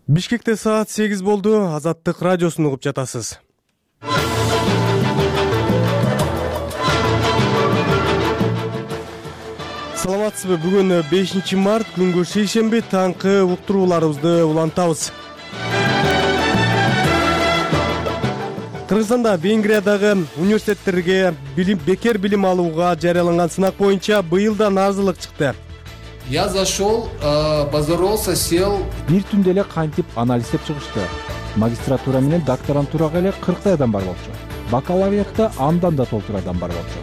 Бишкекте саат 8 болду. Азаттык радиосун угуп жатасыз. Саламатсызбы? Бүгүн 5-март күнгө шейшемби таңкы уктурууларыбызды улантабыз. Кыргызстанда Венгриядагы университеттерге бекер билим алууга жарыяланган сынак боюнча быйыл да наразылык чыкты. Я зашел, позоролся, сел. Бир түндө эле кантип анализдеп чыгышты. Магистратура менен докторантурага эле 40 адам бар болчу. Бакалавриатта андан да толтур адам бар болчу.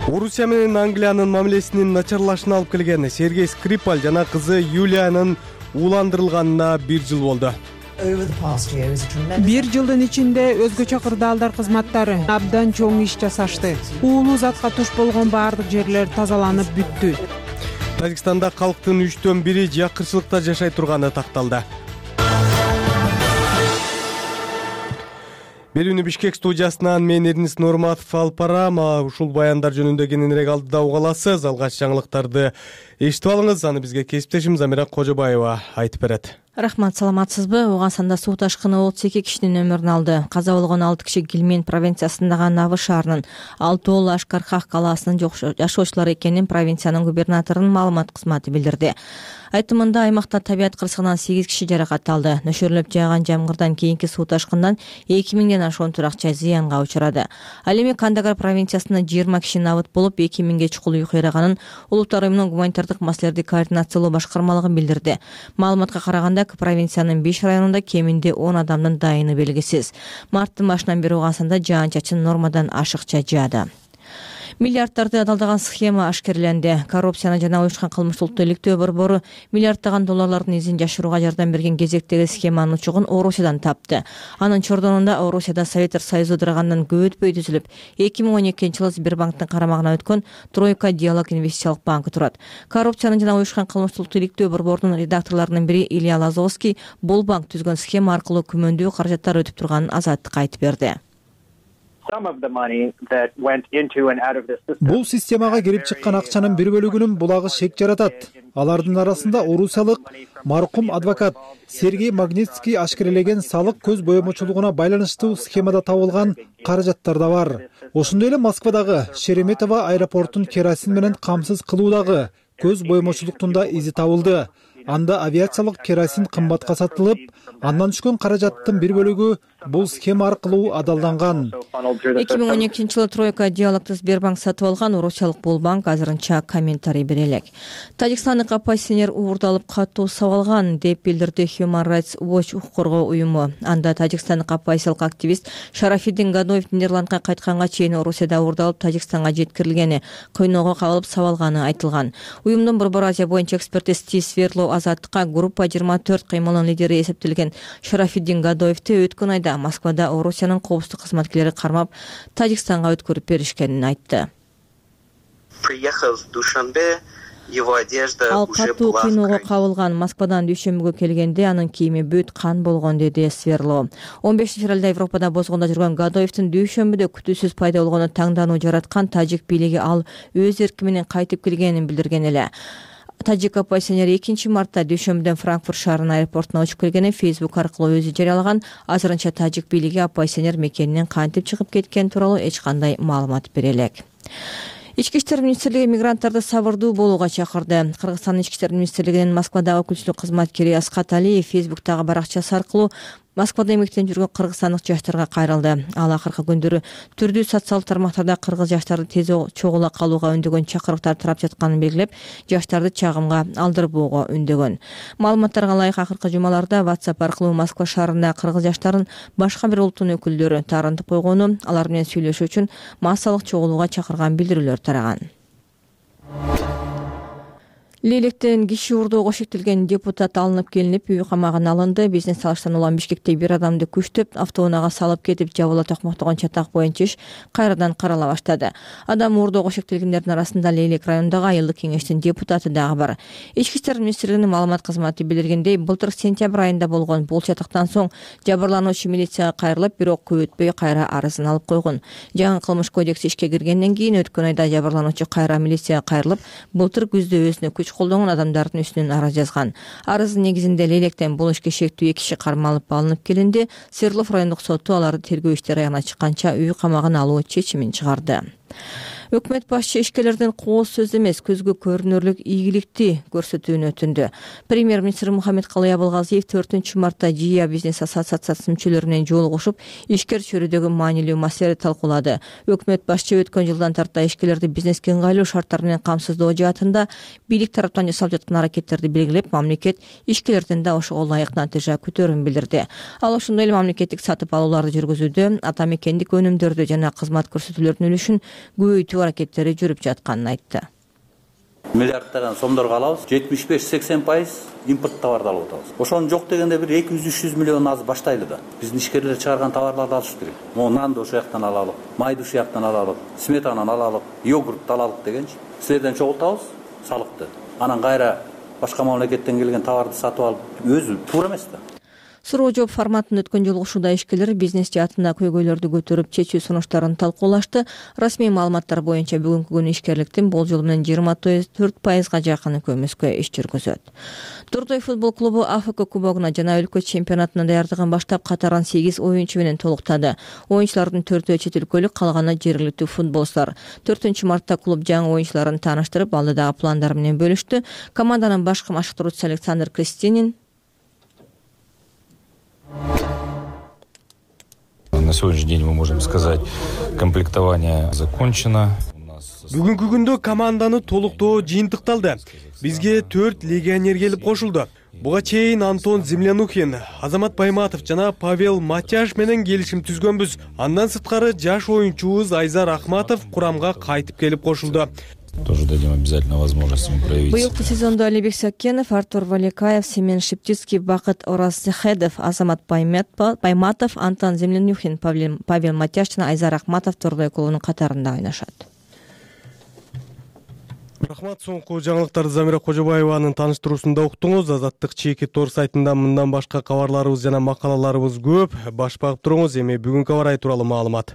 Орусия менен Англиянын мамилесинин начарлашына алып келген Сергей Скрипаль жана кызы Юлиянын ууландырылганына 1 жыл болду. Бир жылдын ичинде өзгөчө кырдаалдар кызматтары абдан чоң иш жасашты. Уулуу затка туш болгон баардык жерлер тазаланып бүттү. Тажикстанда калктын 1/3 жакырчылыкта жашай турганы такталды. Берүүнү Бишкек студиясынан мен Эрнис Норматов алып барам. Ушул баяндар жөнүндө кененирээк алдыда уга аласыз. Алгач жаңылыктарды эшитип алыңыз. Аны бизге кесиптешим Замира Кожобаева айтып берет. Рахмат, саламатсызбы? Оогансанда суу ташкыны 32 кишинин өмүрүн алды. Каза болгон 6 киши Гилмен провинциясындагы Навы шаарынын, 6 Ашкархах калаасынын жашоочулары экенин провинциянын губернаторунун маалымат кызматы билдирди. Айтымында аймакта табият кырсыгынан 8 киши жаракат алды. Нөшөрлөп жааган жамгырдан кийинки суу ташкындан 2000ден ашуун туракча зыянга учурады. Ал эми Кандагар провинциясында 20 киши набыт болуп, 2000ге чукул үй кыйраганын Улуттар уюмунун гуманитардык маселелерди координациялоо башкармалыгы билдирди. Маалыматка караганда провинциянын 5 районунда кеминде 10 адамдын дайыны белгисиз. Марттын башынан бери Оогансанда жаан-чачын нормадан ашыкча жаады. Миллиардтарды адалдаган схема ашкерленди. Коррупцияны жана уюшкан кылмыштуулукту иликтөө борбору миллиарддаган долларлардын изин жашырууга жардам берген кезектеги схеманын учугун Орусиядан тапты. Анын чордонунда Орусияда Советтер Союзу ыдырагандан көп өтпөй түзүлүп, 2012-жылы Сбербанктын карамагына өткөн Тройка диалог инвестициялык банкы турат. Коррупцияны жана уюшкан кылмыштуулукту иликтөө борборунун редакторлорунун бири Илья Лазовский бул банк түзгөн схема аркылуу күмөндүү каражаттар өтүп турганын Азаттыкка айтып берди. Бул системага кирип чыккан акчанын бир бөлүгүнүн булагы шек жаратат. Алардын арасында орусиялык маркум адвокат Сергей Магнитский ашкерелеген салык көз боемочулугуна байланыштуу схемада табылган каражаттар да бар. Ошондой эле Москвадагы Шереметово аэропортун керосин менен камсыз кылуудагы көз боемочулуктун да изи табылды. Анда авиациялык керосин кымбатка сатылып, андан түшкөн каражаттын бир бөлүгү бул схема аркылуу адалданган. 2012-жылы Тройка диалогту Сбербанк сатып алган. Орусиялык бул банк азырынча комментарий бере элек. Тажикстандык оппозиционер уурдалып катуу сабалган деп билдирди Human Rights Watch укук коргоо уюму. Анда тажикстандык оппозициялык активист Шарафиддин Гадоев Нидерландка кайтканга чейин Орусияда уурдалып Тажикстанга жеткирилгени, койноого кабылып сабалганы айтылган. Уюмдун Борбор Азия боюнча эксперти Стив Сверлоу Азаттыкка группа 24 кыймылынын лидери эсептелген Шарафиддин Гадоевти өткөн айда Москвада Орусиянын коопсуздук кызматкерлери кармап Тажикстанга өткөрүп беришкенин айтты. Ал катуу кыйноого кабылган. Москвадан дүйшөмбүгө келгенде анын кийими бүт кан болгон, деди Сверло. 15 февралда Европада бозгондо жүргөн Гадоевдин дүйшөмбүдө күтүүсүз пайда болгону таңдануу жараткан. Тажик бийлиги ал өз эрки менен кайтып келгенин билдирген эле. Тажик оппозиционери 2-мартта дүйшөмбүдөн Франкфурт шаарынын аэропортуна учуп келгенин Facebook аркылуу өзү жарыялаган. Азырынча тажик бийлиги оппозиционер мекенинен кантип чыгып кеткени тууралуу эч кандай маалымат бере элек. Ички иштер министрлиги мигранттарды сабырдуу болууга чакырды. Кыргызстандын Ички иштер министрлигинин Москвадагы өкүлчүлүк кызматкери Аскат Алиев Facebooктагы баракчасы аркылуу Москвада эмгектенип жүргөн кыргызстандык жаштарга кайрылды. Ал акыркы күндөрү түрдүү социалдык тармактарда кыргыз жаштарды тез чогула калууга үндөгөн чакырыктар тарап жатканын белгилеп, жаштарды чагымга алдырбоого үндөгөн. Маалыматтарга ылайык акыркы жумаларда WhatsApp аркылуу Москва шаарында кыргыз жаштарын башка бир улуттун өкүлдөрү таарынтып койгону, алар менен сүйлөшүү үчүн массалык чогулууга чакырган билдирүүлөр тараган. Лейлектен киши уурдоого шектелген депутат алынып келинип, үй камагына алынды. Бизнес алыштан улам Бишкекте бир адамды күчтөп, автоунаага салып кетип, жабыла токмоктогон чатак боюнча иш кайрадан карала баштады. Адам уурдоого шектелгендердин арасында Лейлек районундагы айылдык кеңештин депутаты дагы бар. Ички иштер министрлигинин маалымат кызматы билдиргендей, былтыр сентябрь айында болгон бул чатактан соң жабырлануучу милицияга кайрылып, бирок көп өтпөй кайра арызын алып койгон. Жаңы кылмыш кодекси ишке киргенден кийин өткөн айда жабырлануучу кайра милицияга кайрылып, былтыр күздө өзүнө күч күч колдонгон адамдардын үстүнөн арыз жазган. Арыздын негизинде Лелектен бул ишке шектүү 2 киши кармалып алынып келинди. Свердлов райондук соту аларды тергөө иштери аягына чыкканча үй камагына алуу чечимин чыгарды. Өкмөт башчы ишкерлерден кооз сөз эмес, көзгө көрүнөрлүк ийгиликти көрсөтүүнү өтүндү. Премьер-министр Мухаммедкалый Абылгазиев 4 мартта ЖИА бизнес ассоциациясынын мүчөлөрү менен жолугушуп, ишкер чөйрөдөгү маанилүү маселени талкуулады. Өкмөт башчы өткөн жылдан тарта ишкерлерди бизнеске ыңгайлуу шарттар менен камсыздоо жаатында бийлик тараптан жасалып жаткан аракеттерди белгилеп, мамлекет ишкерлерден да ошого ылайык натыйжа күтөөрүн билдирди. Ал ошондой эле мамлекеттик сатып алууларды жүргүзүүдө ата мекендик өнүмдөрдү жана кызмат көрсөтүүлөрдүн үлүшүн көбөйтүү аракеттери жүрүп жатканын айтты. Миллиарддаган сомдорго алабыз, 75-80% импорт товарды алып атабыз. Ошону жок дегенде бир 200-300 миллион аз баштайлы да. Биздин ишкерлер чыгарган товарларды алыш керек. Нанды ошол жактан алалык, майды ошол жактан алалык, сметананы алалык, йогуртты алалык дегенчи. Силерден чогултабыз салыкты. Анан кайра башка мамлекеттен келген товарды сатып алып өзү туура эмес да. Суроо жооп форматында өткөн жолугушууда ишкерлер бизнес жаатында көйгөйлөрдү көтөрүп, чечүү сунуштарын талкуулашты. Расмий маалыматтар боюнча бүгүнкү күнү ишкерликтин болжол менен 24%га жакыны көмүскө иш жүргүзөт. Дордой футбол клубу АФК кубогуна жана өлкө чемпионатына даярдыгын баштап катарын 8 оюнчу менен толуктады. Оюнчулардын 4-өө чет өлкөлүк, калганы жергиликтүү футболчулар. 4 мартта клуб жаңы оюнчуларын тааныштырып, алдыдагы пландары менен бөлүштү. Команданын башкы машыктыруучусу Александр Кристинин на сегодняшний день мы можем сказать, комплектование закончено. Бүгүнкү күндө команданы толуктоо жыйынтыкталды. Бизге 4 легионер келип кошулду. Буга чейин Антон Землянухин, Азамат Байматов жана Павел Матяш менен келишим түзгөнбүз. Андан сырткары жаш оюнчубуз Айзар Ахматов курамга кайтып келип кошулду. Тоже дадим обязательно возможность им проявить. Быйылкы сезондо Алибек Сакенов, Артур Валикаев, Семен Шептицкий, Бакыт Ораззахедов, Азамат Байматов, Антон Землянухин, Павел Матяш жана Айзар Ахматов Дордой клубунун катарында ойношот. Рахмат, соңку жаңылыктарды Замира Кожобаеванын тааныштыруусунда уктуңуз. Азаттык чеки тор сайтында мындан башка кабарларыбыз жана макалаларыбыз көп. Баш багып туруңуз. Эми бүгүнкү кабар тууралуу маалымат.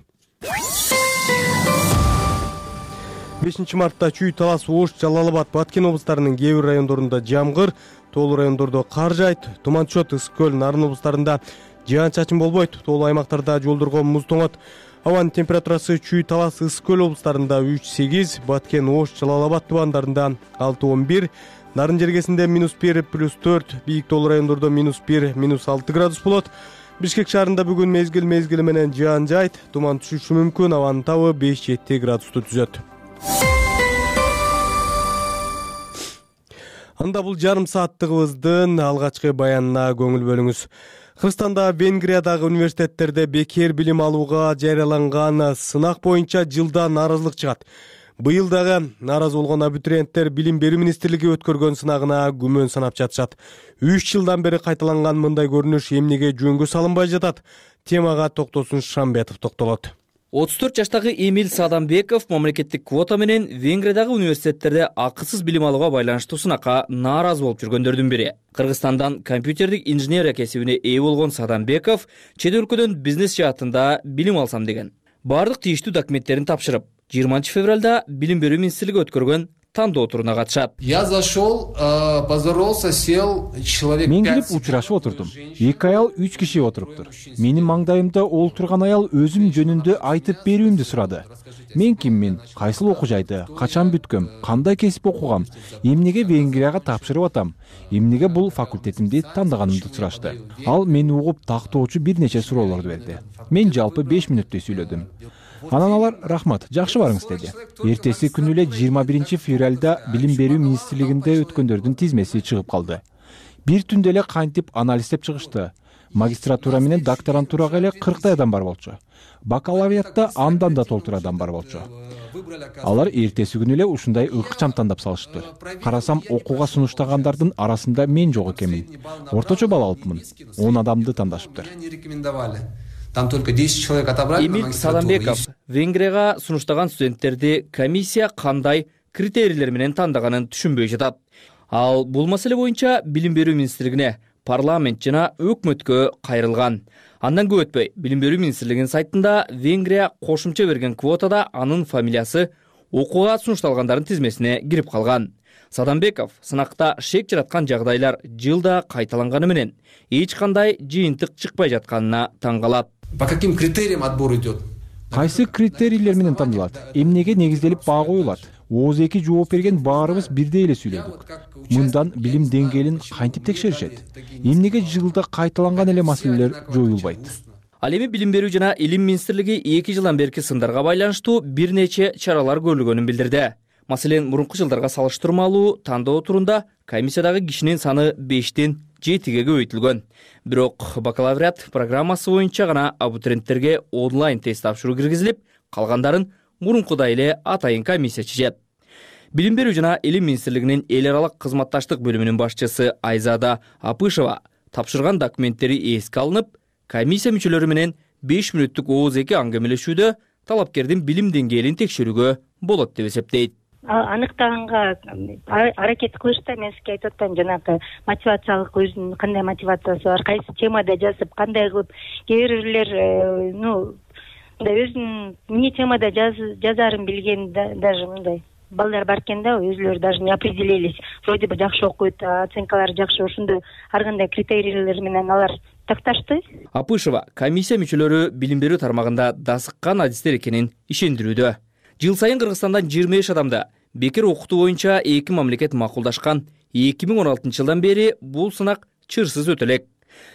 5 мартта Чүй, Талас, Ош, Жалал-Абад, Баткен облустарынын кээ бир райондорунда жамгыр, тоолуу райондордо кар жаайт, туман түшөт. Ысык-Көл, Нарын облустарында жаан-чачын болбойт. Тоолуу аймактарда жолдорго муз тоңот. Абанын температурасы Чүй, Талас, Ысык-Көл облустарында 3-8, Баткен, Ош, Жалал-Абад тубандарында 6-11, Нарын жергесинде -1, +4, бийик тоолуу райондордо -1, -6 градус болот. Бишкек шаарында бүгүн мезгил менен жаан жаайт, туман түшүшү мүмкүн, абанын табы 5-7 градусту түзөт. Анда бул жарым сааттыгыбыздын алгачкы баянына көңүл бөлүңүз. Кыргызстанда Венгриядагы университеттерде бекер билим алууга жарыяланган сынак боюнча жылда нааразылык чыгат. Быйыл дагы нааразы болгон абитуриенттер Билим берүү министрлиги өткөргөн сынагына күмөн санап жатышат. 3 жылдан бери кайталанган мындай көрүнүш эмнеге жөнгө салынбай жатат? Темага Токтосун Шамбетов токтолот. 34 жаштагы Эмил Садамбеков мамлекеттик квота менен Венгриядагы университеттерде акысыз билим алууга байланыштуу сынакка нааразы болуп жүргөндөрдүн бири. Кыргызстандан компьютердик инженерия кесибине ээ болгон Садамбеков чет өлкөдөн бизнес жаатында билим алсам деген. Бардык тийиштүү документтерин тапшырып, 20 февралда Билим берүү министрлиги өткөргөн тандоо туруна катышат. Я зашел, поздоровался, сел, человек 5. Мен келип учурашып отурдум. 2 аял 3 киши отуруптур. Менин маңдайымда олтурган аял өзүм жөнүндө айтып берүүмдү сурады. Мен киммин, кайсыл окуу жайды, качан бүткөм, кандай кесип окугам, эмнеге Венгрияга тапшырып атам, эмнеге бул факультетимди тандаганымды сурашты. Ал мени угуп тактоочу бир нече суроолорду берди. Мен жалпы 5 мүнөттөй сүйлөдүм. Анан алар рахмат, жакшы барыңыз деди. Эртеси күнү эле 21 февралда Билим берүү министрлигинде өткөндөрдүн тизмеси чыгып калды. Бир түндө эле кантип анализдеп чыгышты. Магистратура менен докторантурага эле 40 адам бар болчу. Бакалавриатта андан да толтур адам бар болчу. Алар эртеси күнү эле ушундай ыкчам тандап салышты. Карасам окууга сунуштагандардын арасында мен жок экенмин. Орточо балл алыпмын. 10 адамды тандашыптыр. Там только 10 человек отобрали. Эмил Садамбеков Венгрияга сунуштаган студенттерди комиссия кандай критерийлер менен тандаганын түшүнбөй жатат. Ал бул маселе боюнча Билим берүү министрлигине, парламент жана өкмөткө кайрылган. Андан көп өтпөй Билим берүү министрлигинин сайтында Венгрия кошумча берген квотада анын фамилиясы окууга сунушталгандардын тизмесине кирип калган. Садамбеков сынакта шек жараткан жагдайлар жылда кайталанганы менен эч кандай жыйынтык чыкпай жатканына таң калат. По каким критериям отбор идет? Кайсы критерийлер менен тандалат? Эмнеге негизделип баа коюлат? ооз 2 жооп берген баарыбыз бирдей эле сүйлөдүк. Мындан билим деңгээлин кантип текшеришет? Эмнеге жылда кайталанган эле маселелер жоюлбайт? Ал эми Билим берүү жана Илим министрлиги 2 жылдан берки сындарга байланыштуу бир нече чаралар көрүлгөнүн билдирди. Маселен, мурунку жылдарга салыштырмалуу тандоо турунда комиссиядагы кишинин саны 5тен 7ге көбөйтүлгөн. Бирок бакалавриат программасы боюнча гана абитуриенттерге онлайн тест тапшыруу киргизилип, калгандарын мурункудай эле атайын комиссия чечет. Билим берүү жана Илим министрлигинин эл аралык кызматташтык бөлүмүнүн башчысы Айзада Апышева тапшырган документтери эске алынып, комиссия мүчөлөрү менен 5 мүнөттүк ооз 2 аңгемелешүүдө талапкердин билим деңгээлин текшерүүгө болот деп эсептейт. Аныктаганга аракет кылышты, мен сизге айтып атам, жанагы мотивациялык өзүнүн кандай мотивациясы бар, кайсы темада жазып, кандай кылып, кээ бирлер өзүнүн эмне темада жазарын билген даже мындай балдар бар экен да, өзүлөрү даже не определились, вроде бы жакшы окуйт, оценкалары жакшы, ошондой ар кандай критерийлер менен алар такташты. Апышева комиссия мүчөлөрү билим берүү тармагында дасыккан адистер экенин ишендирүүдө. Жыл сайын Кыргызстандан 25 адамды бекер окутуу боюнча 2 мамлекет макулдашкан. 2016 жылдан бери бул сынак чырсыз өтө элек.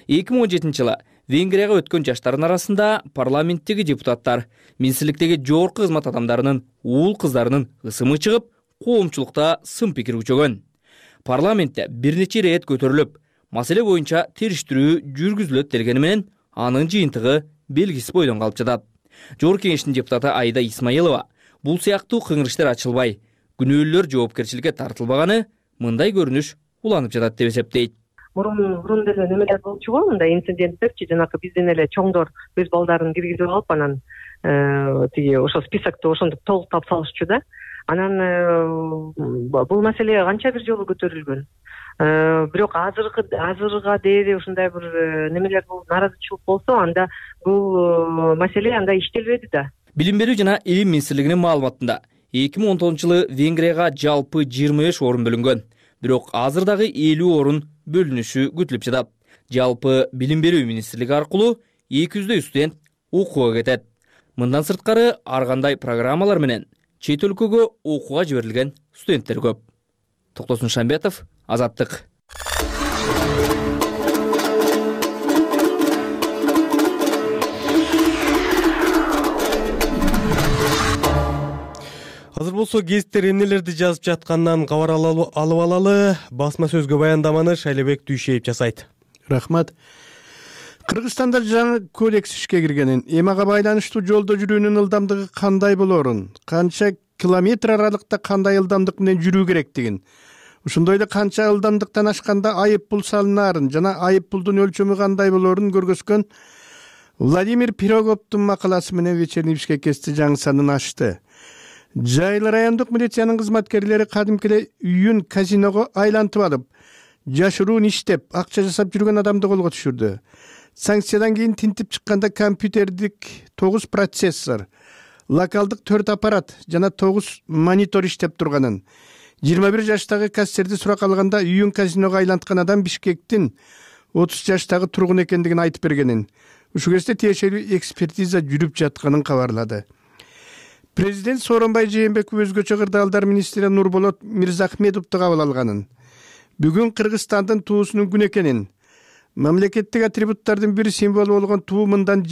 2017 жылы Венгрияга өткөн жаштардын арасында парламенттеги депутаттар, министрликтеги жогорку кызмат адамдарынын уул кыздарынын ысымы чыгып, коомчулукта сын пикир күчөгөн. Парламентте бир нече ирет көтөрүлүп, маселе боюнча териштирүү жүргүзүлөт дегени менен анын жыйынтыгы белгисиз бойдон калып жатат. Жогорку кеңештин депутаты Айда Исмаилова бул сыяктуу кыңырыштар ачылбай, күнөөлөр жоопкерчиликке тартылбаганы мындай көрүнүш уланып жатат деп эсептейт. Мурун деле немелер болчу го, мындай инциденттерчи, жанакы бизден эле чоңдор өз балдарын киргизип алып, анан тиги ошол списокто ошондуп толуктап салышчу да. Анан бул маселе канча бир жолу көтөрүлгөн. Бирок азырга дээри ушундай бир немелер нааразычылык болсо, анда бул маселе анда иштелбеди да. Билим берүү жана Илим министрлигинин маалыматында 2019 жылы Венгрияга жалпы 25 орун бөлүнгөн. Бирок азыр дагы 50 орун бөлүнүшү күтүлүп жатат. Жалпы билим берүү министрлиги аркылуу 200 студент окууга кетет. Мындан сырткары ар кандай программалар менен чет өлкөгө окууга жиберилген студенттер көп. Токтосун Шамбетов, Азаттык. Азыр болсо гезиттер эмнелерди жазып жатканынан кабар алып алалы. Басма сөзгө баяндаманы Шайлебек Дүйшеев жасайт. Рахмат. Кыргызстанда жаңы кодекс ишке киргенин, эмага байланыштуу жолдо жүрүүнүн ылдамдыгы кандай болорун, канча километр аралыкта кандай ылдамдык менен жүрүү керектигин, ошондой эле канча ылдамдыктан ашканда айып пул салынаарын жана айып пулдун өлчөмү кандай болорун көргөзгөн Владимир Пироговдун макаласы менен Вечерний Бишкекте жаңы санын ачты. Жайлы райондук милициянын кызматкерлери кадимки эле үйүн казиного айлантып алып, жашыруун иштеп, акча жасап жүргөн адамды колго түшүрдү. Санкциядан кийин тинтип чыкканда компьютердик 9 процессор, локалдык 4 аппарат жана 9 монитор иштеп турганын, 21 жаштагы кассирди сурак алганда үйүн казиного айланткан адам Бишкектин 30 жаштагы тургун экендигин айтып бергенин, ушул кезде тиешелүү экспертиза жүрүп жатканын кабарлады. Президент Сооронбай Жээнбеков өзгөчө кырдаалдар министри Нурболот Мирзахметовду кабыл алганын, бүгүн Кыргызстандын туусунун күнү экенин, мамлекеттик атрибуттардын бир символу болгон туу мындан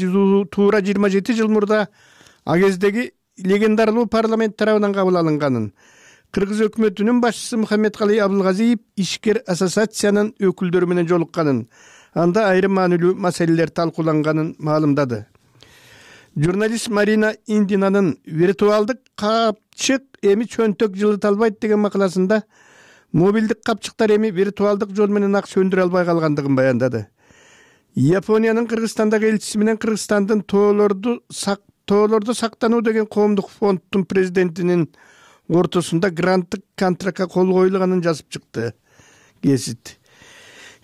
туура 27 жыл мурда а кездеги легендарлуу парламент тарабынан кабыл алынганын, Кыргыз өкмөтүнүн башчысы Мухаммедкалый Абылгазиев ишкер ассоциациянын өкүлдөрү менен жолукканын, анда айрым маанилүү маселелер талкууланганын маалымдады. Журналист Марина Индинанын виртуалдык капчык эми чөнтөк жылыталбайт деген макаласында мобилдик капчыктар эми виртуалдык жол менен ак сөндүрө албай калгандыгын баяндады. Япониянын Кыргызстандагы элчиси менен Кыргызстандын тоолорду сактануу деген коомдук фонддун президентинин ортосунда гранттык контрактка кол коюлганын жазып чыкты.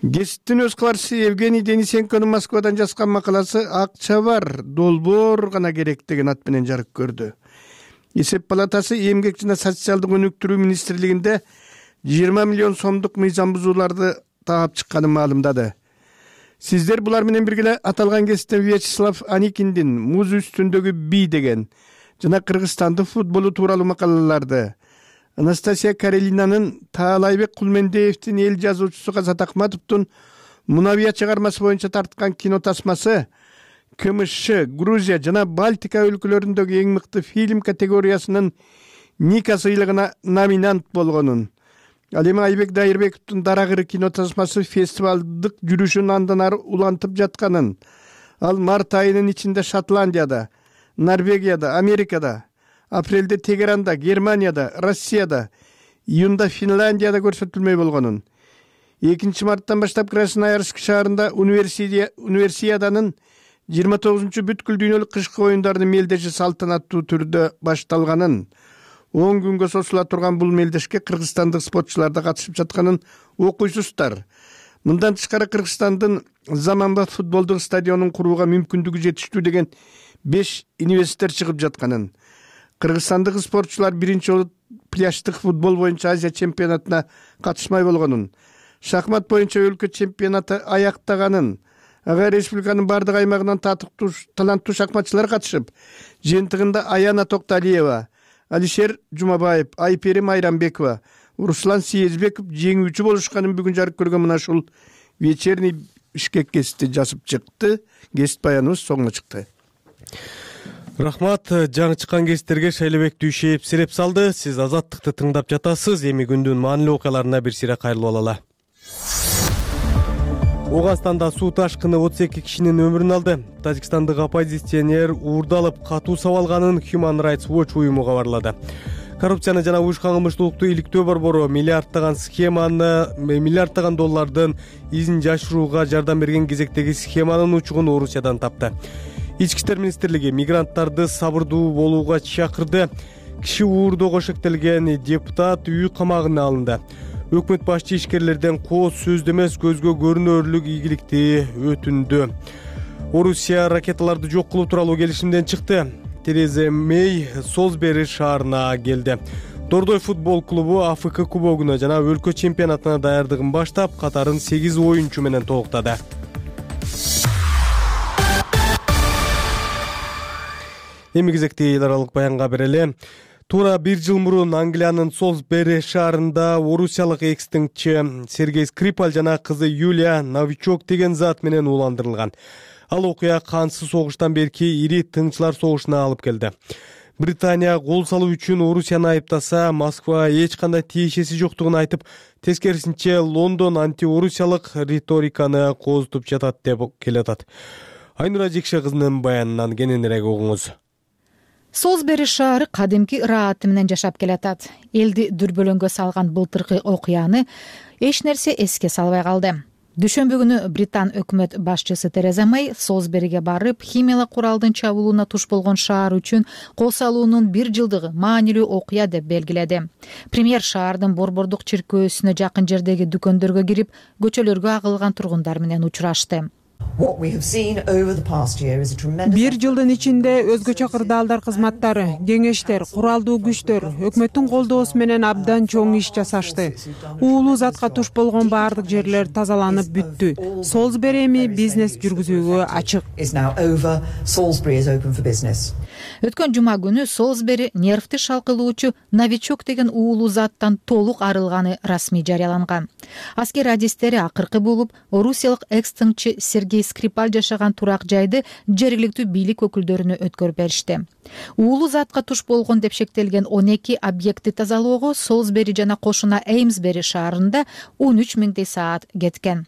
Гезиттин өз кабарчысы Евгений Денисенконун Москвадан жазган макаласы «Акча бар, долбоор гана керек» деген ат менен жарык көрдү. Эсеп палатасы эмгек жана социалдык өнүктүрүү министрлигинде 20 миллион сомдук мыйзам бузууларды таап чыкканын маалымдады. Сиздер булар менен бирге аталган кесиптен Вячеслав Аникиндин «Муз үстүндөгү бий» деген жана Кыргызстандын футболу тууралуу макалаларды, Анастасия Карелинанын Таалайбек Кулмендеевдин эл жазуучусу Казат Акматовдун Мунавия чыгармасы боюнча тарткан кино тасмасы КМШ, Грузия жана Балтика өлкөлөрүндөгү эң мыкты фильм категориясынын Ника сыйлыгына номинант болгонун, ал эми Айбек Дайырбековдун Дарагыры кино тасмасы фестивалдык жүрүшүн андан ары улантып жатканын, ал март айынын ичинде Шотландияда, Норвегияда, Америкада, апрелде Тегеранда, Германияда, Россияда, июнда Финляндияда көрсөтүлмөй болгонун, 2 марттан баштап Красноярск шаарында универсиаданын 29 бүткүл дүйнөлүк кышкы оюндарынын мелдеши салтанаттуу түрдө башталганын, 10 күнгө созула турган бул мелдешке кыргызстандык спортчулар да катышып жатканын окуйсуздар. Мындан тышкары Кыргызстандын заманбап футболдук стадионун курууга мүмкүндүгү жетиштүү деген 5 инвестор чыгып жатканын, кыргызстандык спортчулар биринчи жолу пляждык футбол боюнча Азия чемпионатына катышмай болгонун, шахмат боюнча өлкө чемпионаты аяктаганын, ага республиканын бардык аймагынан таланттуу шахматчылар катышып, жыйынтыгында Аяна Токталиева, Алишер Жумабаев, Айпери Майрамбекова, Руслан Съездбеков жеңүүчү болушканын бүгүн жарык көргөн мына ушул вечерний Бишкек кесипти жазып чыкты. Кесип баяныбыз соңуна чыкты. Рахмат, жаңы чыккан кесиптерге Шайлебек Дүйшеев сиреп салды. Сиз Азаттыкты тыңдап жатасыз. Эми күндүн маанилүү окуяларына бир сире кайрылып алалы. Оганстанда суу ташкыны 32 кишинин өмүрүн алды. Тажикстандык оппозиционер уурдалып катуу сабалганын Human Rights Watch уюму кабарлады. Коррупцияны жана уюшкан кылмыштуулукту иликтөө борбору миллиарддаган доллардын изин жашырууга жардам берген кезектеги схеманын учугун Орусиядан тапты. Ички иштер министрлиги мигранттарды сабырдуу болууга чакырды. Киши уурдоого шектелген депутат үй камагына алынды. Өкмөт башчы ишкерлерден кооз сөздө эмес көзгө көрүнөрлүк ийгиликти өтүндү. Орусия ракеталарды жок кылуу тууралуу келишимден чыкты. Тереза Мэй Солсбери шаарына келди. Дордой футбол клубу АФК кубогуна жана өлкө чемпионатына даярдыгын баштап, катарын 8 оюнчу менен толуктады. Эми кезекти эл аралык баянга берели. Туура 1 жыл мурун Англиянын Солсбери шаарында орусиялык экстингчи Сергей Скрипаль жана кызы Юлия Новичок деген зат менен ууландырылган. Ал окуя кансыз согуштан берки ири тыңчылар согушуна алып келди. Британия кол салуу үчүн Орусияны айыптаса, Москва эч кандай тиешеси жоктугун айтып, тескерисинче Лондон антиорусиялык риториканы кооздуп жатат деп келатат. Айнура Жекше кызынын баянынан кененирээк угуңуз. Солсбери шаары кадимки ырааты менен жашап келатат. Элди дүрбөлөңгө салган былтыркы окуяны эч нерсе эске салбай калды. Дүйшөмбү күнү Британ өкмөт башчысы Тереза Мэй Солсбериге барып, химиялык куралдын чабуулуна туш болгон шаар үчүн кол салуунун 1 жылдыгы маанилүү окуя деп белгиледи. Премьер шаардын борбордук чиркөөсүнө жакын жердеги дүкөндөргө кирип, көчөлөргө агылган тургундар менен учурашты. 1 жылдын ичинде өзгөчө кырдаалдар кызматтары, кеңештер, куралдуу күчтөр өкмөттүн колдоосу менен абдан чоң иш жасашты. Уулуу затка туш болгон баардык жерлер тазаланып бүттү. Солсбери эми бизнес жүргүзүүгө ачык. Өткөн жума күнү Солсбери нервти шалкылоочу Новичок деген уулуу заттан толук арылганы расмий жарыяланган. Аскер радистери акыркы болуп, орусиялык экстингчи Сергей Скрипаль жашаган турак жайды жергиликтүү бийлик өкүлдөрүнө өткөрүп беришти. Уулуу затка туш болгон деп шектелген 12 объекти тазалоого Солсбери жана кошуна Эймсбери шаарында 13 миңдей саат кеткен.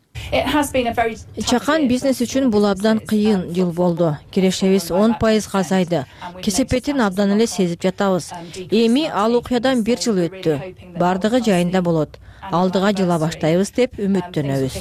Чакан бизнес үчүн бул абдан кыйын жыл болду. Кирешебиз 10% азайды. Кесепетин абдан эле сезип жатабыз. Эми ал окуядан 1 жыл өттү. Бардыгы жайында болот. Алдыга жыла баштайбыз деп үмүттөнөбүз.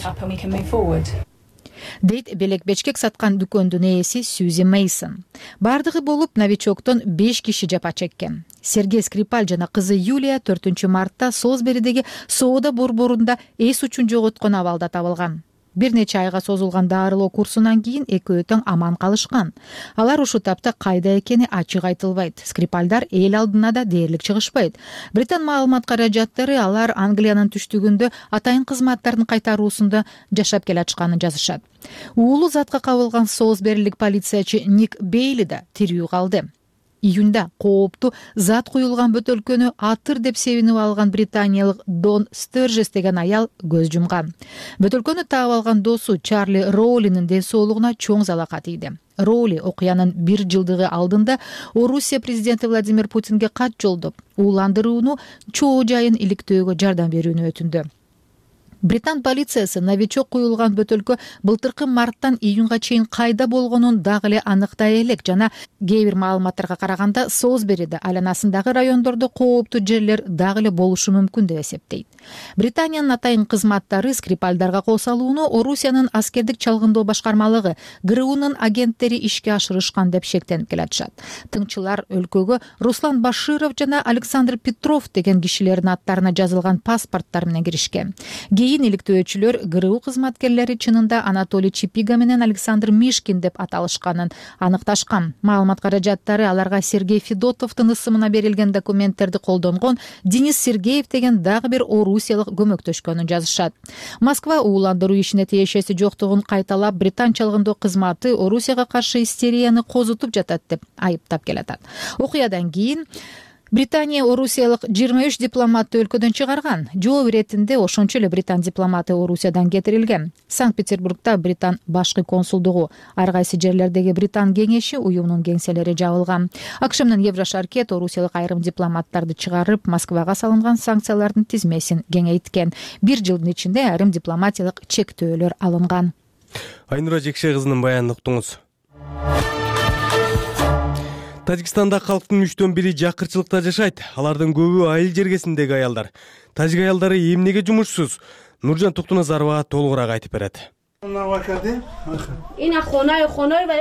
Дейт белек-бечкек саткан дүкөндүн ээси Сьюзи Мейсон. Бардыгы болуп Новичоктон 5 киши жапа чеккен. Сергей Скрипаль жана кызы Юлия 4 мартта Солсберидеги соода борборунда эс учун жоготкон абалда табылган. бир нече айга созулган дарылоо курсунан кийин экөө тең аман калышкан. Алар ушул тапта кайда экени ачык айтылбайт. Скрипальдар эл алдына да дээрлик чыгышпайт. Британ маалымат каражаттары алар Англиянын түштүгүндө атайын кызматтарын кайтаруусунда жашап келатышканын жазышат. Уулу затка кабылган Солсберилик полициячы Ник Бейли да тирүү калды. Июнда кооптуу зат куюлган бөтөлкөнү атыр деп себинип алган британиялык Дон Стержес деген аял көз жумган. Бөтөлкөнү таап алган досу Чарли Роулинин ден соолугуна чоң залака тийди. Роули окуянын 1 жылдыгы алдында Орусия президенти Владимир Путинге кат жолдоп, ууландырууну чоо жайын иликтөөгө жардам берүүнү өтүндү. Британ полициясы новичок куюлган бөтөлкө былтыркы марттан июнга чейин кайда болгонун дагы эле аныктай элек жана кээ бир маалыматтарга караганда Солсбериде айланасындагы райондордо кооптуу жерлер дагы эле болушу мүмкүн деп эсептейт. Британиянын атайын кызматтары Скрипальдарга кол салууну Орусиянын аскердик чалгындоо башкармалыгы ГРУнун агенттери ишке ашырышкан деп шектенип келатышат. Тыңчылар өлкөгө Руслан Баширов жана Александр Петров деген кишилердин аттарына жазылган паспорттар менен киришкен. Иликтөөчүлөр ГРУ кызматкерлери чынында Анатолий Чипига менен Александр Мишкин деп аталышканын аныкташкан. Маалымат каражаттары аларга Сергей Федотовдун ысымына берилген документтерди колдонгон Денис Сергеев деген дагы бир орусиялык көмөктөшкөнүн жазышат. Москва ууландыруу ишине тиешеси жоктугун кайталап, Британ чалгындоо кызматы Орусияга каршы истерияны козутуп жатат деп айыптап келатат. Окуядан кийин Британия орусиялык 23 дипломатты өлкөдөн чыгарган. Жооп иретинде ошончо эле британ дипломаты Орусиядан кетирилген. Санкт-Петербургда Британ башкы консулдугу, ар кайсы жерлердеги Британ кеңеши уюмунун кеңселери жабылган. АКШ менен Еврошаркет орусиялык айрым дипломаттарды чыгарып, Москвага салынган санкциялардын тизмесин кеңейткен. 1 жылдын ичинде айрым дипломатиялык чектөөлөр алынган. Айнура Жекше кызынын баянын уктуңуз. Тажикстанда калктын 3/1 жакырчылыкта жашайт. Алардын көбү айыл жергесиндеги аялдар. Тажик аялдары эмнеге жумушсуз? Нуржан Токтуназарова толугураак айтып берет.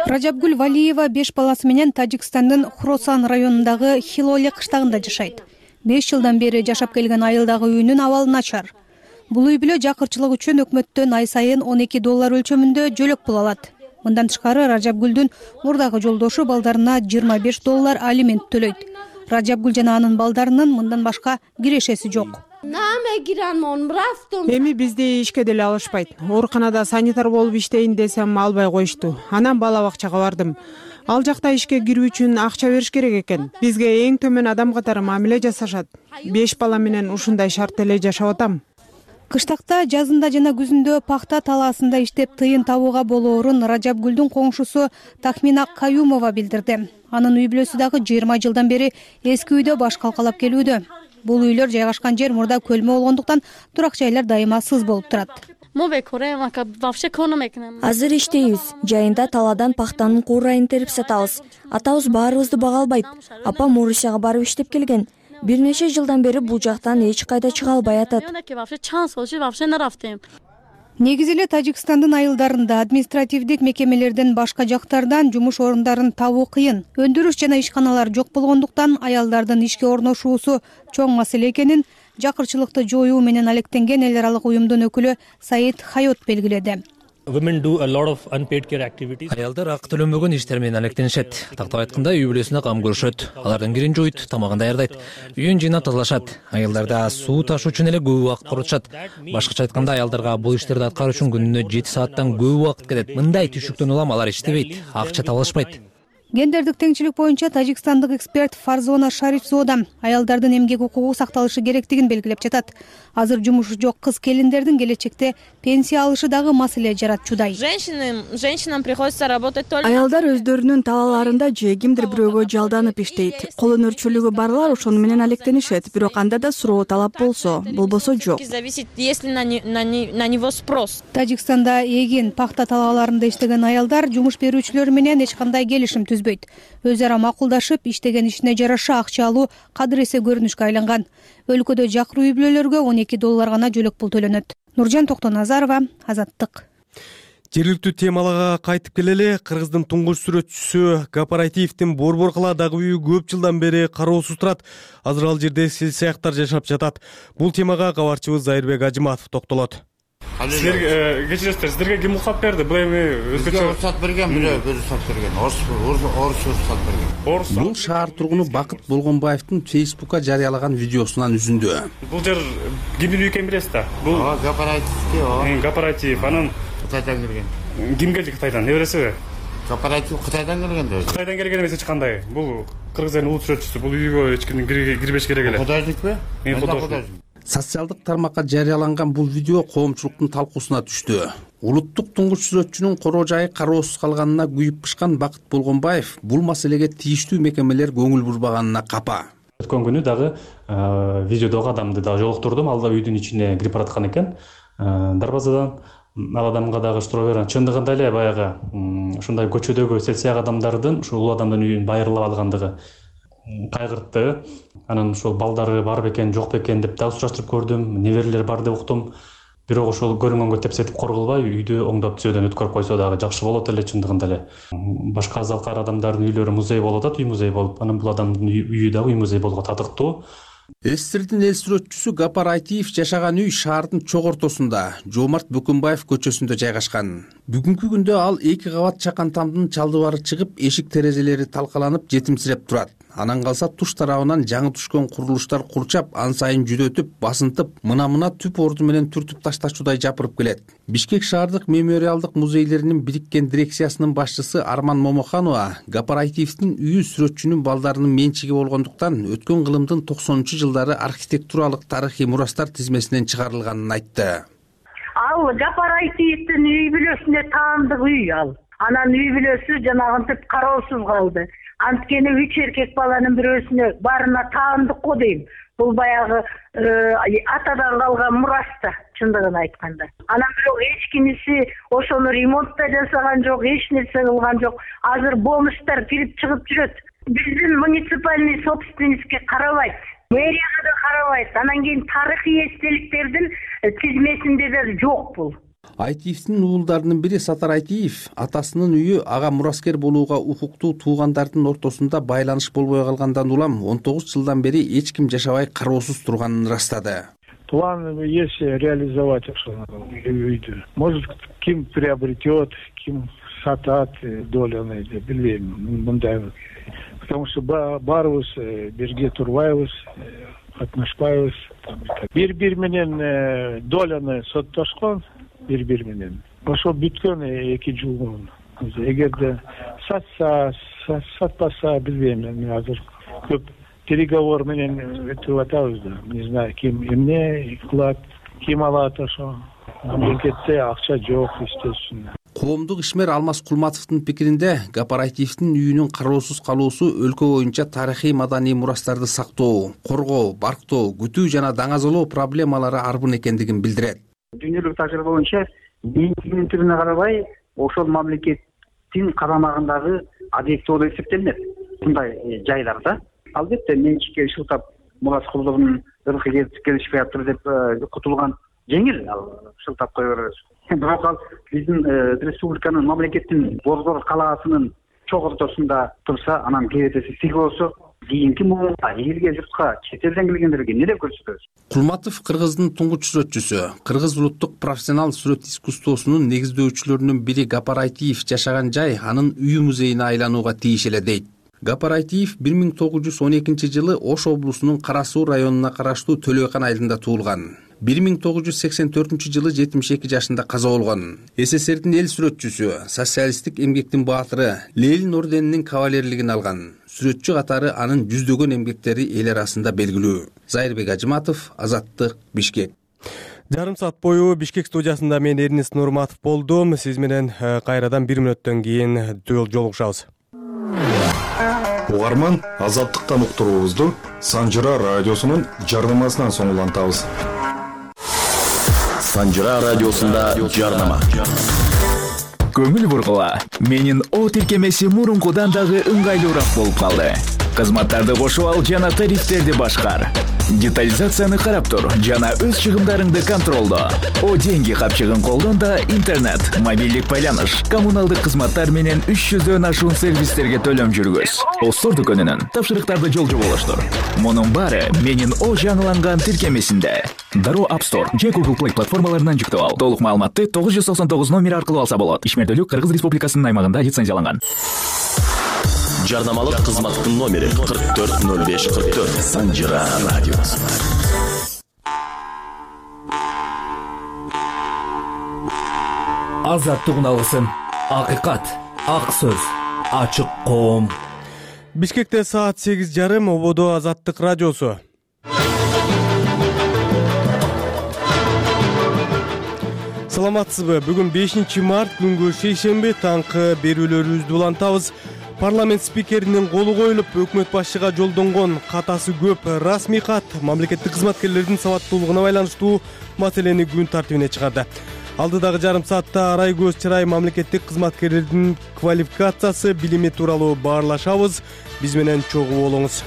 Ражабгүл Валиева 5 баласы менен Тажикстандын Хросан районундагы Хилоле кыштагында жашайт. 5 жылдан бери жашап келген айылдагы үйүнүн абалы начар. Бул үй бүлө жакырчылык үчүн өкмөттөн ай сайын $12 өлчөмүндө жөлөк пул алат. Мындан тышкары Ражабгүлдүн мурдагы жолдошу балдарына $25 алимент төлөйт. Ражабгүл жана анын балдарынын мындан башка кирешеси жок. Эми бизди ишке деле алышпайт. Ооруканада санитар болуп иштейин десем албай коюшту. Анан бала бакчага бардым. Ал жакта ишке кирүү үчүн акча бериш керек экен. Бизге эң төмөн адам катары мамиле жасашат. 5 бала менен ушундай шарт эле жашап атам. Кыштакта, жазында жана күзүндө пахта талаасында иштеп тыйын табууга болоорун Ражабгүлдүн коңшусу Тахмина Каюмова билдирди. Анын үй бүлөсү дагы 20 жылдан бери эски үйдө баш калкалап келүүдө. Бул үйлөр жайгашкан жер мурда көлмө болгондуктан турак жайлар дайыма сыз болуп турат. Азыр иштейбиз. Жайында таладан пахтанын куурайын терип сатабыз. Атабыз баарыбызды бага албайт. Апам Орусияга барып иштеп келген. Bir нече жылдан бери бул жактан эч кайда чыга албай атат. Негизи эле Тажикстандын айылдарында административдик мекемелерден башка жактардан жумуш орундарын табуу кыйын. Өндүрүш жана ишканалар жок болгондуктан аялдардын ишке орношуусу чоң маселе экенин жакырчылыкты жоюу менен алектенген эл аралык уюмдун өкүлү Саид Хайот белгиледи. Аялдар акы төлөнбөгөн иштер менен алектенишет. Тактап айтканда, үй бүлөсүнө кам көрүшөт. Алардын кирин жуйт, тамагын даярдайт, үйүн жыйнап тазалашат. Аялдарда суу ташуу үчүн эле көп убакыт коротушат. Башкача айтканда, аялдарга бул иштерди аткаруу үчүн күнүнө 7 сааттан көп убакыт кетет. Мындай түшүктөн улам алар иштебейт, акча таба алышпайт. Гендердик теңчилик боюнча тажикстандык эксперт Фарзона Шарифзода аялдардын эмгек укугу сакталышы керектигин белгилеп жатат. Азыр жумушу жок кыз келиндердин келечекте пенсия алышы дагы маселе жаратчудай. Аялдар өздөрүнүн талааларында же кимдир бирөөгө жалданып иштейт. Кол өнөрчүлүгү барлар ошону менен алектенишет, бирок анда да суроо талап болсо, болбосо жок. Тажикстанда эгин, пахта талааларында иштеген аялдар жумуш берүүчүлөр менен эч кандай келишим түзбөйт. Өз ара макулдашып, иштеген ишине жараша акча алуу кадыресе көрүнүшкө айланган. Өлкөдө жакыр үй бүлөлөргө $12 гана жөлөк пул төлөнөт. Нуржан Токтоназарова, Азаттык. Жергиликтүү темаларга кайтып келели. Кыргыздын туңгуч сүрөтчүсү Кооперативдин Борбор калаадагы үйү көп жылдан бери кароосуз турат. Азыр ал жерде сел саяктар жашап жатат. Бул темага кабарчыбыз Айырбек Ажыматов токтолот. Силерге кечиресиздер, сиздерге ким уруксат берди? Бул эми өзгөчө уруксат берген, бирөө уруксат берген. Орус уруксат берген. Бул шаар тургуну Бакыт Болгонбаевдин Фейсбукка жарыялаган видеосунан үзүндү. Бул жер кимдин үйү экенин билесиз да? Бул кооператив. Анан Кытайдан келген. Ким келди Кытайдан? Эбересиби? Кооператив Кытайдан келген да. Кытайдан келген эмес эч кандай. Бул кыргыз элинин улуу сүрөтчүсү. Бул үйгө эч ким кирбеш керек эле. Кудайдыкпы? Социалдык тармакка жарыяланган бул видео коомчулуктун талкуусуна түштү. Улуттук туңгуч сүрөтчүнүн короо жайы кароосуз калганына күйүп бышкан Бакыт Болгонбаев бул маселеге тийиштүү мекемелер көңүл бурбаганына капа. Өткөн күнү дагы видеодогу адамды дагы жолуктурдум. Ал да үйдүн ичине кирип бараткан экен. Дарбазадан ал адамга дагы суроо берген. Чындыгында эле баягы ушундай көчөдөгү селсияк адамдардын ушул улуу адамдын үйүн байырлап алгандыгы кайгыртты. Анан ошол балдары бар бекен, жок бекен деп дагы сураштырып көрдүм. Неберелер бар деп уктум. Бирок ошол көрүнгөнгө тепсетип кор кылбай, үйдү оңдоп түзөөдөн өткөрүп койсо дагы жакшы болот эле чындыгында эле. Башка азалкар адамдардын үйлөрү музей болуп атат, үй музей болуп. Анан бул адамдын үйү дагы үй музей болууга татыктуу. СССРдин эл сүрөтчүсү Гапар Айтиев жашаган үй шаардын чок ортосунда, Жоомарт Бөкөнбаев көчөсүндө жайгашкан. Бүгүнкү күндө ал 2 кабат чакан тамдын чалдыбары чыгып, эшик терезелери талкаланып, жетимсиреп турат. Анан калса туш тарабынан жаңы түшкөн курулуштар курчап, ан сайын жүдөтүп, басынтып, мына түп орду менен түртүп ташташуудай жапырып келет. Бишкек шаардык мемориалдык музейлеринин бириккен дирекциясынын башчысы Арман Момоханова Гапар Айтиевдин үйү сүрөтчүнүн балдарынын менчиги болгондуктан өткөн кылымдын 90-жылдары архитектуралык тарыхый мурастар тизмесинен чыгарылганын айтты. Ал Гапар Айтиевдин үй бүлөсүнө таандык үй ал. Анан үй бүлөсү жанагынтип кароосуз калды. Анткени 3 эркек баланын бирөөсүнө барына таандык го дейм. Бул баягы атадан калган мураста, чындыгын айтканда. Анан бирок эч кимиси ошону ремонт да жасаган жок, эч нерсе кылган жок. Азыр бомжтар кирип чыгып жүрөт. Биздин муниципальный собственникке карабайт. Мэрияга да карабайт. Анан кийин тарыхый эстеликтердин тизмесинде да жок бул. Айтиевдин уулдарынын бири Сатар Айтиев атасынын үйү ага мураскер болууга укуктуу туугандардын ортосунда байланыш болбой калгандан улам 19 жылдан бери эч ким жашабай кароосуз турганын ырастады. План есть реализовать үйдү. Может, ким приобретет, ким сатат доляны, билбейм, мындай. Потому что барыбыз бирге турбайбыз, катнашпайбыз. Бири менен доляны соттошкон. Бир менен. Ошо бүткөн 2 жыл мурун. Эгерде сатпаса билбейм, мен азыр көп переговор менен өтүп атабыз да. Не знаю, ким эмне кылат, ким алат ошо. Мамлекетте акча жок, естественно. Коомдук ишмер Алмаз Кулматовдун пикиринде Гапар Айтиевдин үйүнүн кароосуз калуусу өлкө боюнча тарыхый маданий мурастарды сактоо, коргоо, барктоо, күтүү жана даңазалоо проблемалары арбын экендигин билдирет. Дүйнөлүк тажрыйба боюнча менчигинин түрүнө карабай ошол мамлекеттин карамагындагы объект болуп эсептелинет. Мындай жайларда албетте менчикке шылтап мурас кулдугунун ыркы келишпей атыр деп кутулган жеңил ал шылтап кое беребиз. Бирок ал биздин республиканын мамлекеттин Борбор калаасынын чок ортосунда турса, анан кебетеси тиги болсо, кийинки муунга элге журтка чет элден келгендерге эмне деп көрсөтөбүз? Кулматов Кыргыздын туңгуч сүрөтчүсү, Кыргыз улуттук профессионал сүрөт искусствосунун негиздөөчүлөрүнүн бири Гапар Айтиев жашаган жай анын үй музейине айланууга тийиш эле дейт. Гапар Айтиев 1912 жылы Ош облусунун Кара Суу районуна караштуу Төлөйкан айылында туулган. 1984 жылы 72 жашында каза болгон. СССРдин эл сүрөтчүсү, социалисттик эмгектин баатыры, Ленин орденинин кавалерлигин алган. Сүрөтчү катары анын жүздөгөн эмгектери эл арасында белгилүү. Зайырбек Ажыматов, Азаттык, Бишкек. Жарым саат бою Бишкек студиясында мен Эрнис Нурматов болдум. Сиз менен кайрадан 1 мүнөттөн кийин жолугушабыз. Угарман, Азаттыктан уктуруубузду Санжыра радиосунун жарнамасынан соң улантабыз. Санжыра радиосунда жарнама. Көңүл бургула. Менин о тиркемеси мурункудан дагы ыңгайлуураак болуп калды. Кызматтарды кошуп ал жана тарифтерди башкар. Детализацияны карап тур жана өз чыгымдарыңды контролдо. О деньги капчыгын колдон да интернет, мобилдик байланыш, коммуналдык кызматтар менен 300дөн ашуун сервистерге төлөм жүргүз. Остор дүкөнүнөн тапшырыктарды жолжо болуштур. Мунун баары менин О жаңыланган тиркемесинде. Дароо App Store же Google Play платформаларынан жүктөп ал. Толук маалыматты 999 номер аркылуу алса болот. Ишмердүүлүк Кыргыз Республикасынын аймагында лицензияланган. Жарнамалык кызматтын номери 440544. Санжира радиосу. Азаттык алгысын. Акыйкат, ак сөз, ачык коом. Бишкекте саат 8:30 ободо Азаттык радиосу. Саламатсызбы? Бүгүн 5 март күнгө шейшемби таңкы берүүлөрүбүздү улантабыз. Парламент спикеринин колу коюлуп, өкмөт башчыга жолдонгон катасы көп расмий кат мамлекеттик кызматкерлердин сабаттуулугуна байланыштуу маселени күн тартибине чыгарды. Алдыдагы жарым саатта арай көз чырай мамлекеттик кызматкерлердин квалификациясы, билими тууралуу баарлашабыз. Биз менен чогуу болуңуз.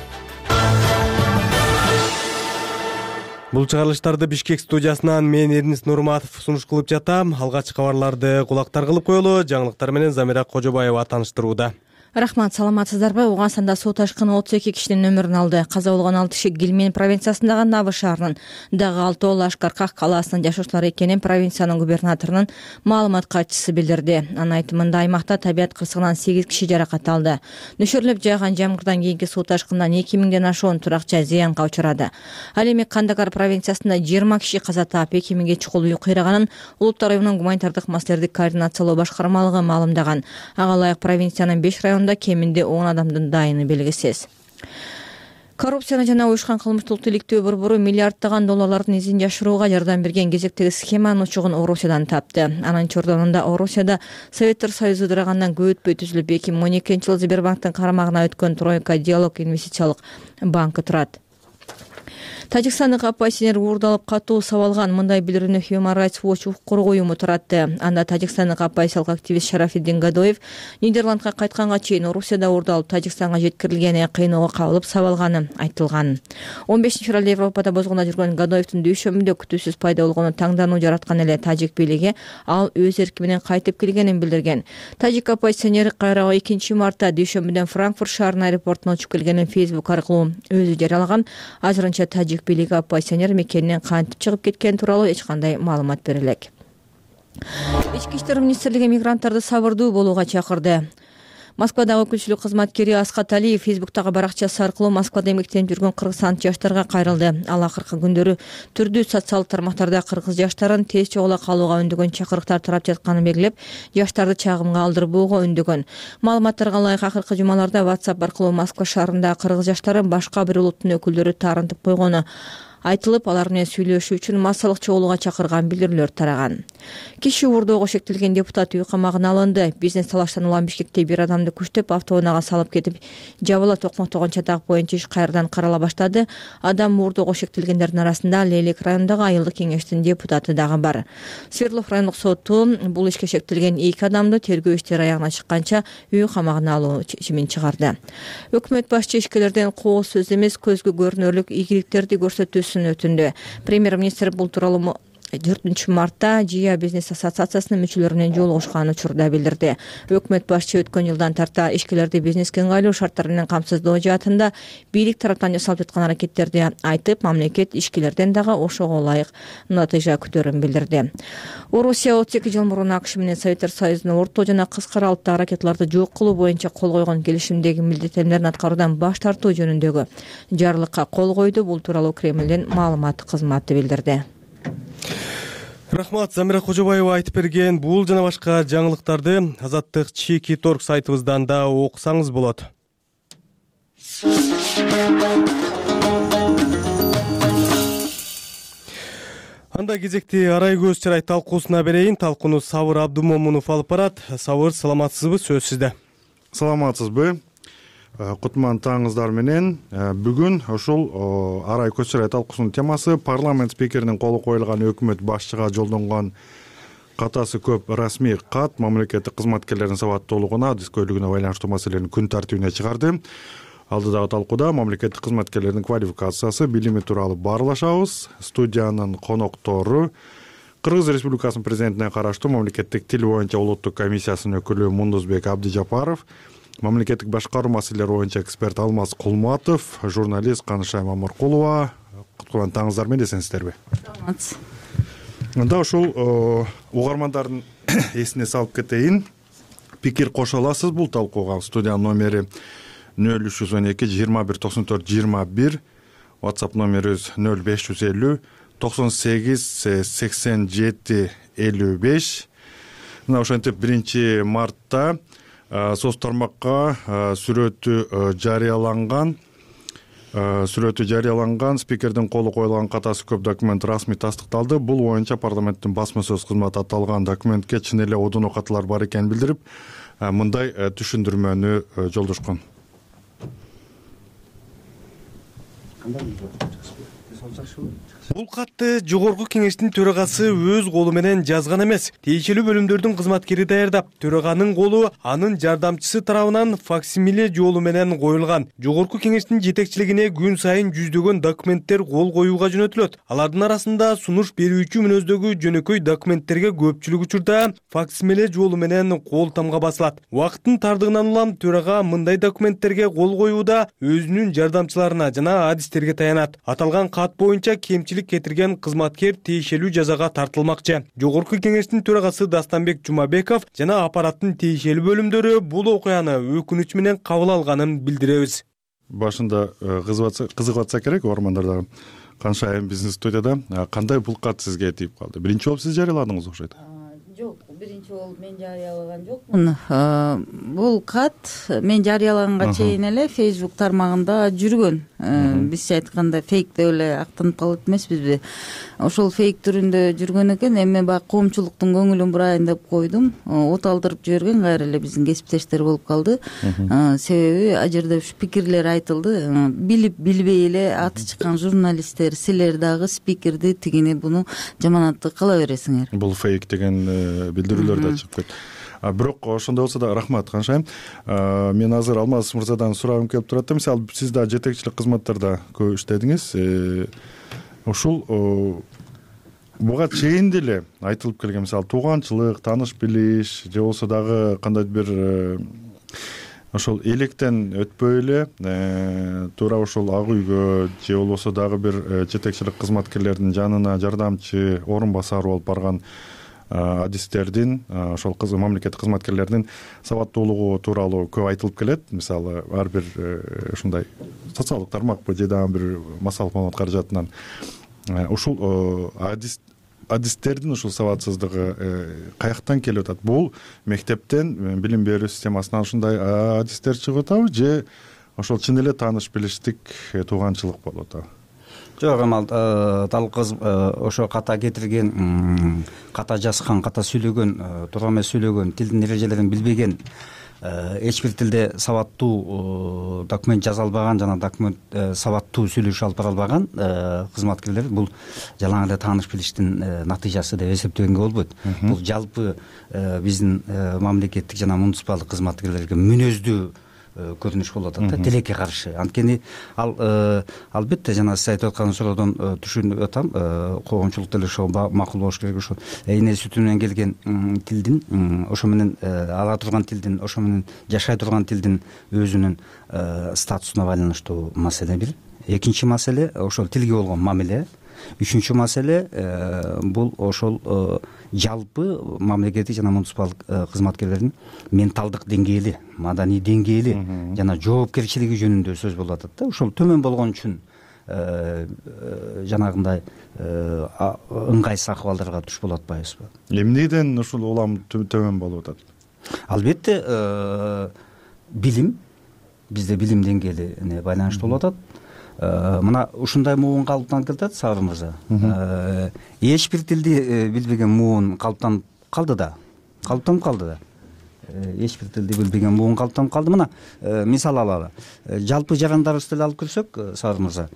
Бул чыгарылыштарды Бишкек студиясынан мен Эрнис Нурматов сунуш кылып жатам. Алгачкы кабарларды кулактар кылып коелу. Жаңылыктар менен Замира Кожобаева тааныштырууда. Рахмат, саламатсыздарбы? Ооганстанда суу ташкыны 32 кишинин өмүрүн алды. Каза болгон 6 киши Гилмен провинциясындагы Навы шаарынын, дагы 6 Лашкарках калаасынын жашоочулары экенин провинциянын губернаторунун маалымат катчысы билдирди. Анын айтымында аймакта табият кырсыгынан 8 киши жаракат алды. Нөшөрлөп жааган жамгырдан кийинки суу ташкынынан 2000ден ашуун туракча зыянга учурады. Ал эми Кандагар провинциясында 20 киши каза таап, 2000ге чукул үй кыйраганын Улуттар уюмунун гуманитардык маселелерди координациялоо башкармалыгы маалымдаган. Ага ылайык провинциянын 5 районунда кеминде 10 адамдын дайыны белгисиз. Коррупцияны жана уюшкан кылмыштуулукту иликтөө борбору миллиарддаган долларлардын изин жашырууга жардам берген кезектеги схеманын учугун Орусиядан тапты. Анын чордонунда Орусияда Советтер Союзу ыдырагандан көп өтпөй түзүлүп 2012-жылы Сбербанктын карамагына өткөн Тройка Диалог инвестициялык банкы турат. Тажикстандык оппозиционер уурдалып катуу сабалган. Мындай билдирүүнү Human Rights Watch укук уюму туратты. Анда тажикстандык оппозициялык активист Шарафиддин Гадоев Нидерландга кайтканга чейин Орусияда уурдалып Тажикстанга жеткирилгени, кыйноого кабылып сабалганы айтылган. 15 февралда Европада бозгондо жүргөн Гадоевдин дүйшөмүндө күтүүсүз пайда болгону таңдануу жараткан эле тажик бийлиги ал өз эрки менен кайтып келгенин билдирген. Тажик оппозиционер кайра 2 мартта дүйшөмбүдөн Франкфурт шаарынын аэропортуна учуп келгенин Facebook аркылуу өзү жарыялаган. Азырынча тажик бийлиги оппозиционер мекенинен кантип чыгып кеткени тууралуу эч кандай маалымат бере элек. Ички иштер министрлиги мигранттарды сабырдуу болууга чакырды. Москвадагы өкүлчүлүк кызматкери Аскат Алиев Фейсбуктагы баракчасы аркылуу Москвада эмгектенип жүргөн кыргызстандык жаштарга кайрылды. Ал акыркы күндөрү түрдүү социалдык тармактарда кыргыз жаштарын тез чогула калууга үндөгөн чакырыктар тарап жатканын белгилеп, жаштарды чагымга алдырбоого үндөгөн. Маалыматтарга ылайык акыркы жумаларда WhatsApp аркылуу Москва шаарында кыргыз жаштары башка бир улуттун өкүлдөрү таарынтып койгону айтылып, алар менен сүйлөшүү үчүн массалык чогулууга чакырган билдирүүлөр тараган. Киши уурдоого шектелген депутат үй камагына алынды. Бизнес талаштан улам Бишкекте бир адамды күчтөп автоунаага салып кетип, жабыла токмоктогон чатак боюнча иш кайрадан карала баштады. Адам уурдоого шектелгендердин арасында Лейлек районундагы айылдык кеңештин депутаты дагы бар. Свердлов райондук соту бул ишке шектелген 2 адамды тергөө иштери аягына чыкканча үй камагына алуу чечимин чыгарды. Өкмөт башчы ишкерлерден коо сөз эмес, көзгө көрүнөрлүк ийгиликтерди көрсөтүүсүн өтүндү. Премьер-министр бул тууралуу 4 мартта ЖИА бизнес ассоциациясынын мүчөлөрү менен жолугушкан учурда билдирди. Өкмөт башчы өткөн жылдан тарта ишкерлерди бизнеске ыңгайлуу шарттар менен камсыздоо жаатында бийлик тараптан жасалып жаткан аракеттерди айтып, мамлекет ишкерлерден дагы ошого ылайык натыйжа күтөөрүн билдирди. Орусия 32 жыл мурун АКШ менен Советтер Союзунун орто жана кыска аралыктагы ракеталарды жок кылуу боюнча кол койгон келишимдеги милдеттенмелерин аткаруудан баш тартуу жөнүндөгү жарлыкка кол койду. Бул тууралуу Кремлдин маалымат кызматы билдирди. Рахмат, Замира Кожобаева айтып берген бул жана башка жаңылыктарды Азаттык чеки торг сайтыбыздан да окусаңыз болот. Анда кезекти арай көз чырай талкуусуна берейин. Талкууну Сабыр Абдумомунов алып барат. Сабыр, саламатсызбы? Сөз сизде. Саламатсызбы? Кутман таңыңыздар менен. Бүгүн ушул арай көз чырай талкуусунун темасы парламент спикеринин колу коюлган өкмөт башчыга жолдонгон катасы көп расмий кат мамлекеттик кызматкерлердин сабаттуулугуна, адис көйлүгүнө байланыштуу маселени күн тартибине чыгарды. Алдыдагы талкууда мамлекеттик кызматкерлердин квалификациясы, билими тууралуу баарлашабыз. Студиянын коноктору Кыргыз Республикасынын президентине караштуу мамлекеттик тил боюнча улуттук комиссиясынын өкүлү Мундузбек Абдыжапаров, мамлекеттик башкаруу маселелери боюнча эксперт Алмаз Кулматов, журналист Канышай Мамыркулова. Куткулан таңыңыздар менен, эсенсиздерби? Анда ушул угармандардын эсине салып кетейин. Пикир кошо аласыз бул талкууга. Студиянын номери 0312 21 94 21, WhatsApp номерибиз 0550 98 87 55. Мына ошентип 1 мартта соц тармакка сүрөтү жарыяланган спикердин колу коюлган катасы көп документ расмий тастыкталды. Бул боюнча парламенттин басма сөз кызматы аталган документке чын эле одуно катылар бар экенин билдирип, мындай түшүндүрмөнү жолдошкон. Бул катты Жогорку Кеңештин төрагасы өз колу менен жазган эмес. Тиешелүү бөлүмдөрдүн кызматкери даярдап, төраганын колу анын жардамчысы тарабынан факсимиле жолу менен коюлган. Жогорку Кеңештин жетекчилигине күн сайын жүздөгөн документтер кол коюуга жөнөтүлөт. Алардын арасында сунуш берүүчү мүнөздөгү жөнөкөй документтерге көпчүлүк учурда факсимиле жолу менен кол тамга басылат. Убакыттын тардыгынан улам төрага мындай документтерге кол коюуда өзүнүн жардамчыларына жана адистерге таянат. Аталган кат боюнча кемчилик кетирген кызматкер тиешелүү жазага тартылмакчы. Жогорку Кеңештин төрагасы Дастанбек Жумабеков жана аппараттын тиешелүү бөлүмдөрү бул окуяны өкүнүч менен кабыл алганын билдиребиз. Башында кызыгып атса керек угармандар. Канышай биздин студияда кандай бул кат сизге тийип калды? Биринчи болуп сиз жарыяладыңыз окшойт. Жок, биринчи болуп мен жарыялаган жокмун. Бул кат мен жарыялаганга чейин эле Facebook тармагында жүргөн. Бизче айтканда фейк деп эле актанып калат эмеспизби? Ошол фейк түрүндө жүргөн экен. Эми баягы коомчулуктун көңүлүн бурайын деп койдум. От алдырып жиберген кайра эле биздин кесиптештер болуп калды. Себеби ал жерде ушу пикирлер айтылды. Билип билбей эле аты чыккан журналисттер, силер дагы спикерди тигини буну жаманатты кыла бересиңер. Бул фейк деген билдирүүлөр да чыгып кетти. Бирок ошондой болсо да рахмат Канышайым. Мен азыр Алмаз мырзадан сурагым келип турат. Мисалы сиз да жетекчилик кызматтарда көп иштедиңиз. Ушул буга чейин деле айтылып келген, мисалы тууганчылык, тааныш билиш же болсо дагы кандайдыр бир ошол электен өтпөй эле туура ошол ак үйгө же болбосо дагы бир жетекчилик кызматкерлердин жанына жардамчы, орун басар болуп барган адистердин, ошол мамлекеттик кызматкерлердин сабаттуулугу тууралуу көп айтылып келет. Мисалы ар бир ушундай социалдык тармакпы же дагы бир массалык маалымат каражатынан ушул адистердин ушул сабатсыздыгы каяктан келип атат? Бул мектептен, билим берүү системасынан ушундай адистер чыгып атабы же ошол чын эле тааныш билиштик, тууганчылык болуп атабы? Жок, Амал, дал кыз ошо ката кетирген, ката жазган, ката сүйлөгөн, туура эмес сүйлөгөн, тилдин эрежелерин билбеген, эч бир тилде сабаттуу документ жаза албаган жана документ сабаттуу сүйлөшүп алып бара албаган кызматкерлер бул жалаң эле тааныш билиштин натыйжасы деп эсептөгөнгө болбойт. Бул жалпы биздин мамлекеттик жана муниципалдык кызматкерлерге мүнөздүү көрүнүш болуп атат да, тилекке каршы. Анткени ал албетте жана сиз айтып аткан суроодон түшүнүп атам, коомчулук деле ошо макул болуш керек. Ошо эне сүтү менен келген тилдин, ошо менен ала турган тилдин, ошо менен жашай турган тилдин өзүнүн статусуна байланыштуу маселе бир. Экинчи маселе ошол тилге болгон мамиле. Үчүнчү маселе бул ошол жалпы мамлекеттик жана муниципалдык кызматкерлердин менталдык деңгээли, маданий деңгээли жана жоопкерчилиги жөнүндө сөз болуп атат да. Ошол төмөн болгон үчүн жанагындай ыңгайсыз акыбалдарга туш болуп атпайбызбы? Эмнеден ушул улам төмөн болуп атат? Албетте билим, бизде билим деңгээли байланыштуу болуп атат. Мына ушундай муун калыптанып келатат, Сабыр мырза. Эч бир тилди билбеген муун калыптанып калды да. Эч бир тилди билбеген муун калыптанып калды. Мына мисал алалы. Жалпы жарандарыбызды эле алып көрсөк, Сабыр мырза,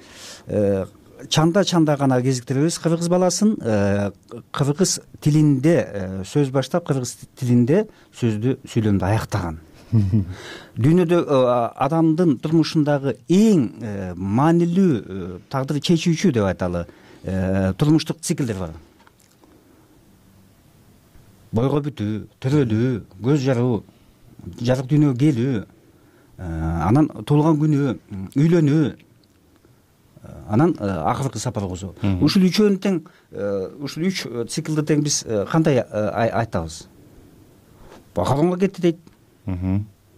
чанда гана кезиктиребиз кыргыз баласын, кыргыз тилинде сөз баштап, кыргыз тилинде сөздү сүйлөмдү аяктаган. дүйнөдө адамдын турмушундагы эң маанилүү тагдыр чечүүчү деп айталы турмуштук циклдер бар. Бойго бүтүү, төрөлүү, көз жаруу, жарык дүйнөгө келүү, анан туулган күнү, үйлөнүү, анан акыркы сапар кылуу. Ушул үчөөнү тең, ушул 3 циклды тең биз кандай айтабыз? Бакалонго кетти дейт.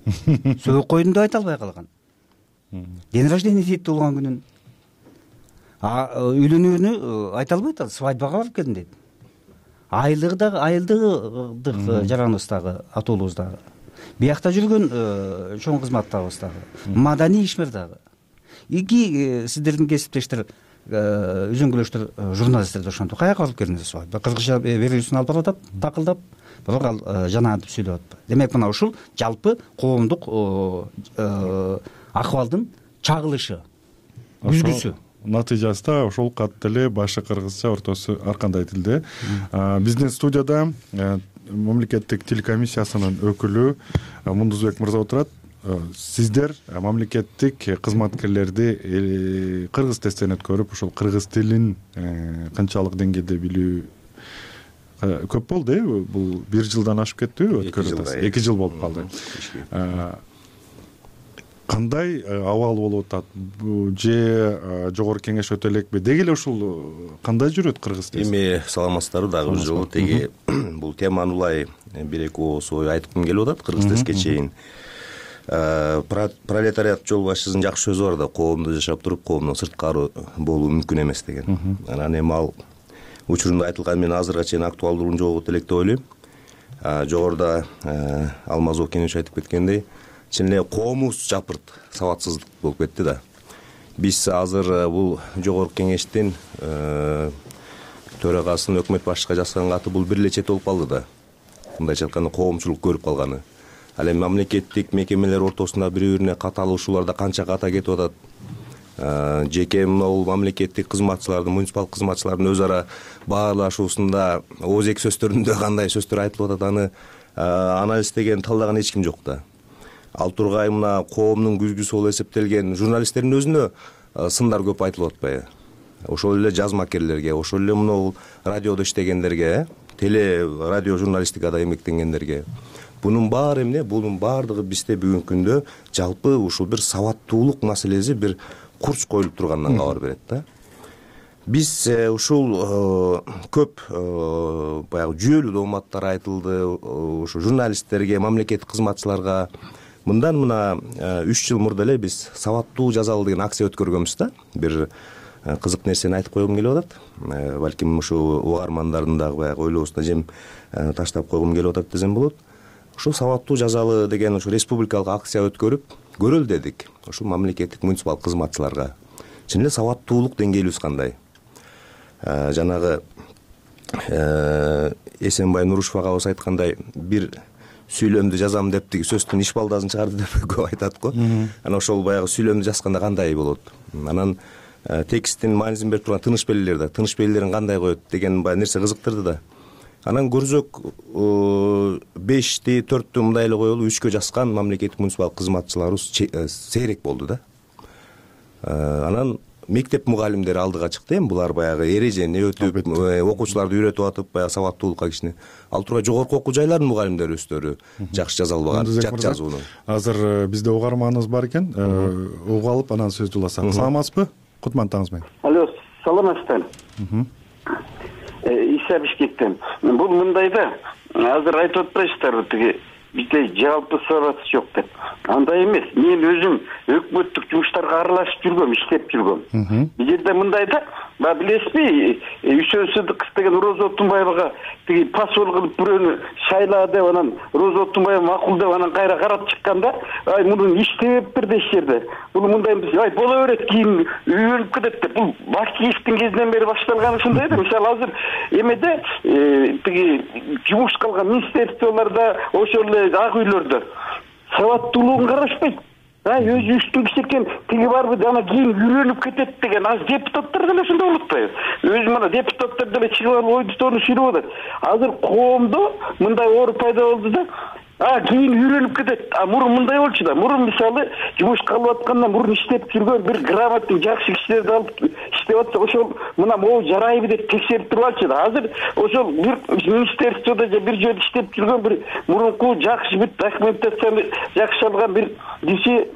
Сөөк койдум деп айта албай калган. День рождения дейт туулган күнүн. Үйлөнүүнү айта албайт, свадьбага барып келдим дейт. Айылдык жараныбыз дагы, атуулубуз дагы. Биякта жүргөн чоң кызматтабыз дагы. Маданий ишмер дагы. Эки сиздердин кесиптештер, үзөңгүлөштөр, журналисттер ошентип каяка барып келдиңиз свадьба? Кыргызча берүүсүн алып баратат, такылдап, бирок ал жанаантип сүйлөп атпайбы? Демек мына ушул жалпы коомдук акыбалдын чагылышы, күзгүсү. Натыйжасында ошол кат деле башы кыргызча, ортосу ар кандай тилде. Биздин студияда мамлекеттик тил комиссиясынын өкүлү Мундузбек мырза отурат. Сиздер мамлекеттик кызматкерлерди кыргыз тесттен өткөрүп, ошол кыргыз тилин канчалык деңгээлде билүү көп болду, бул 1 жылдан ашып кеттиби өткөрүп? 2 жыл болуп калды. Кандай абал болуп атат? Же жогорку кеңеш өтө элекпи? Деги эле ушул кандай жүрөт кыргыз тест? Эми саламатсыздарбы дагы бир жолу теги бул теманы улай 1-2 ооз ой айткым келип атат кыргыз тестке чейин. Пролетариат жол башчысынын жакшы сөзү бар да, коомдо жашап туруп коомдон сырткары болуу мүмкүн эмес деген. Анан эми ал учурунда айтылган менен азыркыга чейин актуалдуулугун жоготот элек деп ойлойм. Жогоруда Алмазов кенеш айтып кеткендей, чын эле коомубуз жапырт сабатсыздык болуп кетти да. Биз азыр бул жогорку кеңештин төрагасын өкмөт башчыга жазган каты бул бир эле чет болуп калды да. Мындайча айтканда коомчулук көрүп калганы. Ал эми мамлекеттик мекемелер ортосунда бири-бирине каталышууларда канча ката кетип атат. Жеке могул мамлекеттик кызматчылардын, муниципалдык кызматчылардын өз ара баарлашуусунда ооз эки сөздөрүндө кандай сөздөр айтылып атат, аны анализдеген, талдаган эч ким жок да. Ал тургай мына коомдун күзгүсү болуп эсептелген журналисттердин өзүнө сындар көп айтылып атпайбы? Ошол эле жазмакерлерге, ошол эле мына радиодо иштегендерге, теле радио журналистикада эмгектенгендерге. Бунун баары эмне? Бунун баардыгы бизде бүгүнкү күндө жалпы ушул бир сабаттуулук маселеси бир курч коюлуп тургандан кабар берет да. Биз ушул көп баягы жүйөлүү дооматтар айтылды, ушу журналисттерге, мамлекеттик кызматчыларга. Мындан мына 3 жыл мурда эле биз сабаттуу жазалы деген акция өткөргөнбүз да. Бир кызык нерсени айтып койгум келип атат. Балким ушу угармандардын дагы баягы ойлоосуна жем таштап койгум келип атат десем болот. Ушул сабаттуу жазалы деген ушу республикалык акция өткөрүп көрөлү дедик. Ушул мамлекеттик муниципалдык кызматчыларга чын эле сабаттуулук деңгээлибиз кандай? Жанагы Эсенбай Нурушев агабыз айткандай, бир сүйлөмдү жазам деп тиги сөздүн ишбалдасын чыгарды деп көп айтат го. Анан ошол баягы сүйлөмдү жазганда кандай болот? Анан тексттин маанисин берип турган тыныш белгилер, тыныш белгилерин кандай коет деген баягы нерсе кызыктырды да. Анан көрсөк 5ти 4тү мындай эле коелу, 3кө жазган мамлекеттик муниципалдык кызматчыларыбыз сейрек болду да. Анан мектеп мугалимдери алдыга чыкты. Эми булар баягы эрежени өтүп, окуучуларды үйрөтүп атып, баягы сабаттуулукка кичине. Ал тургай жогорку окуу жайлардын мугалимдери өздөрү жакшы жаза албаган, жат жазууну. Азыр бизде угарманыбыз бар экен, угуп алып анан сөздү уласак. Саламатсызбы? Кутман таңыңыз менен. Алло, саламатсыздар. Иса Бишкектен. Бул мындай да, азыр айтып атпайсыздарбы, тиги бизде жалпы сабат жок деп. Андай эмес. Мен өзүм өкмөттүк жумуштарга аралашып жүргөм, иштеп жүргөм. Бул жерде мындай да, билесизби, Үчөөсүдүк деген Роза Отунбаевага тиги посол кылып бирөөнү шайла деп, анан Роза Отунбаева макул деп, анан кайра карап чыкканда, ай мунун иштеп бир деш жерде. Бул мындай эмес, ай боло берет, кийин үйрөнүп кетет деп. Бул Башкиевдин кезинен бери башталган ушундай да. Мисалы азыр эмеде тиги жумуш кылган министрликтолордо, ошол эле ак үйлөрдө сабаттуулугун карашпайт. Өзү үстүн кичекен тиги барбы, ана кийин үйрөнүп кетет деген аз депутаттар деле ошондой болуп атпайбы? Өзү мына депутаттар деле чыгып алып ойду тоonu сүйлөп атат. Азыр коомдо мындай оор пайда болду да, кийин үйрөнүп кетет. Мурун мындай болчу да. Мурун мисалы жумушка алып атканда мурун иштеп жүргөн бир грамотный жакшы кишилерди алып иштеп атса, ошол мына могу жарайбы деп текшерип туруп алчу да. Азыр ошол бир министерстводо же бир жерде иштеп жүргөн бир мурунку жакшы бүт документацияны жакшы алган бир киши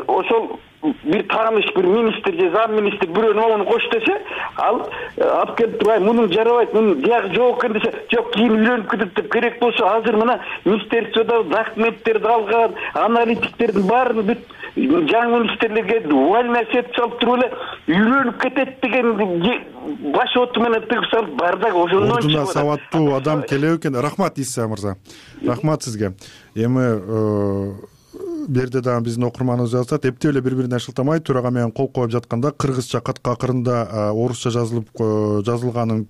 ошол бир тааныш бир министр же зам министр бирөөнү могуну кош десе, ал алып келип турбай, мунун жарабайт, мунун биягы жок экен десе, жок кийин үйлөнүп кетет деп керек болсо, азыр мына министерстводо документтерди алган, аналитиктердин баарын бүт жаңы министрлерге увольняться этип салып туруп эле үйлөнүп кетет деген баш оту менен тыгып салып бардак ошондон чыгып атат. Сабаттуу адам келеби экен. Рахмат Иса мырза. Рахмат сизге. Эми берде дагы биздин окурманыбыз жазат, эптеп эле бири-бирине шылтамай төрага менен кол коюп жатканда кыргызча катка акырында орусча жазылганын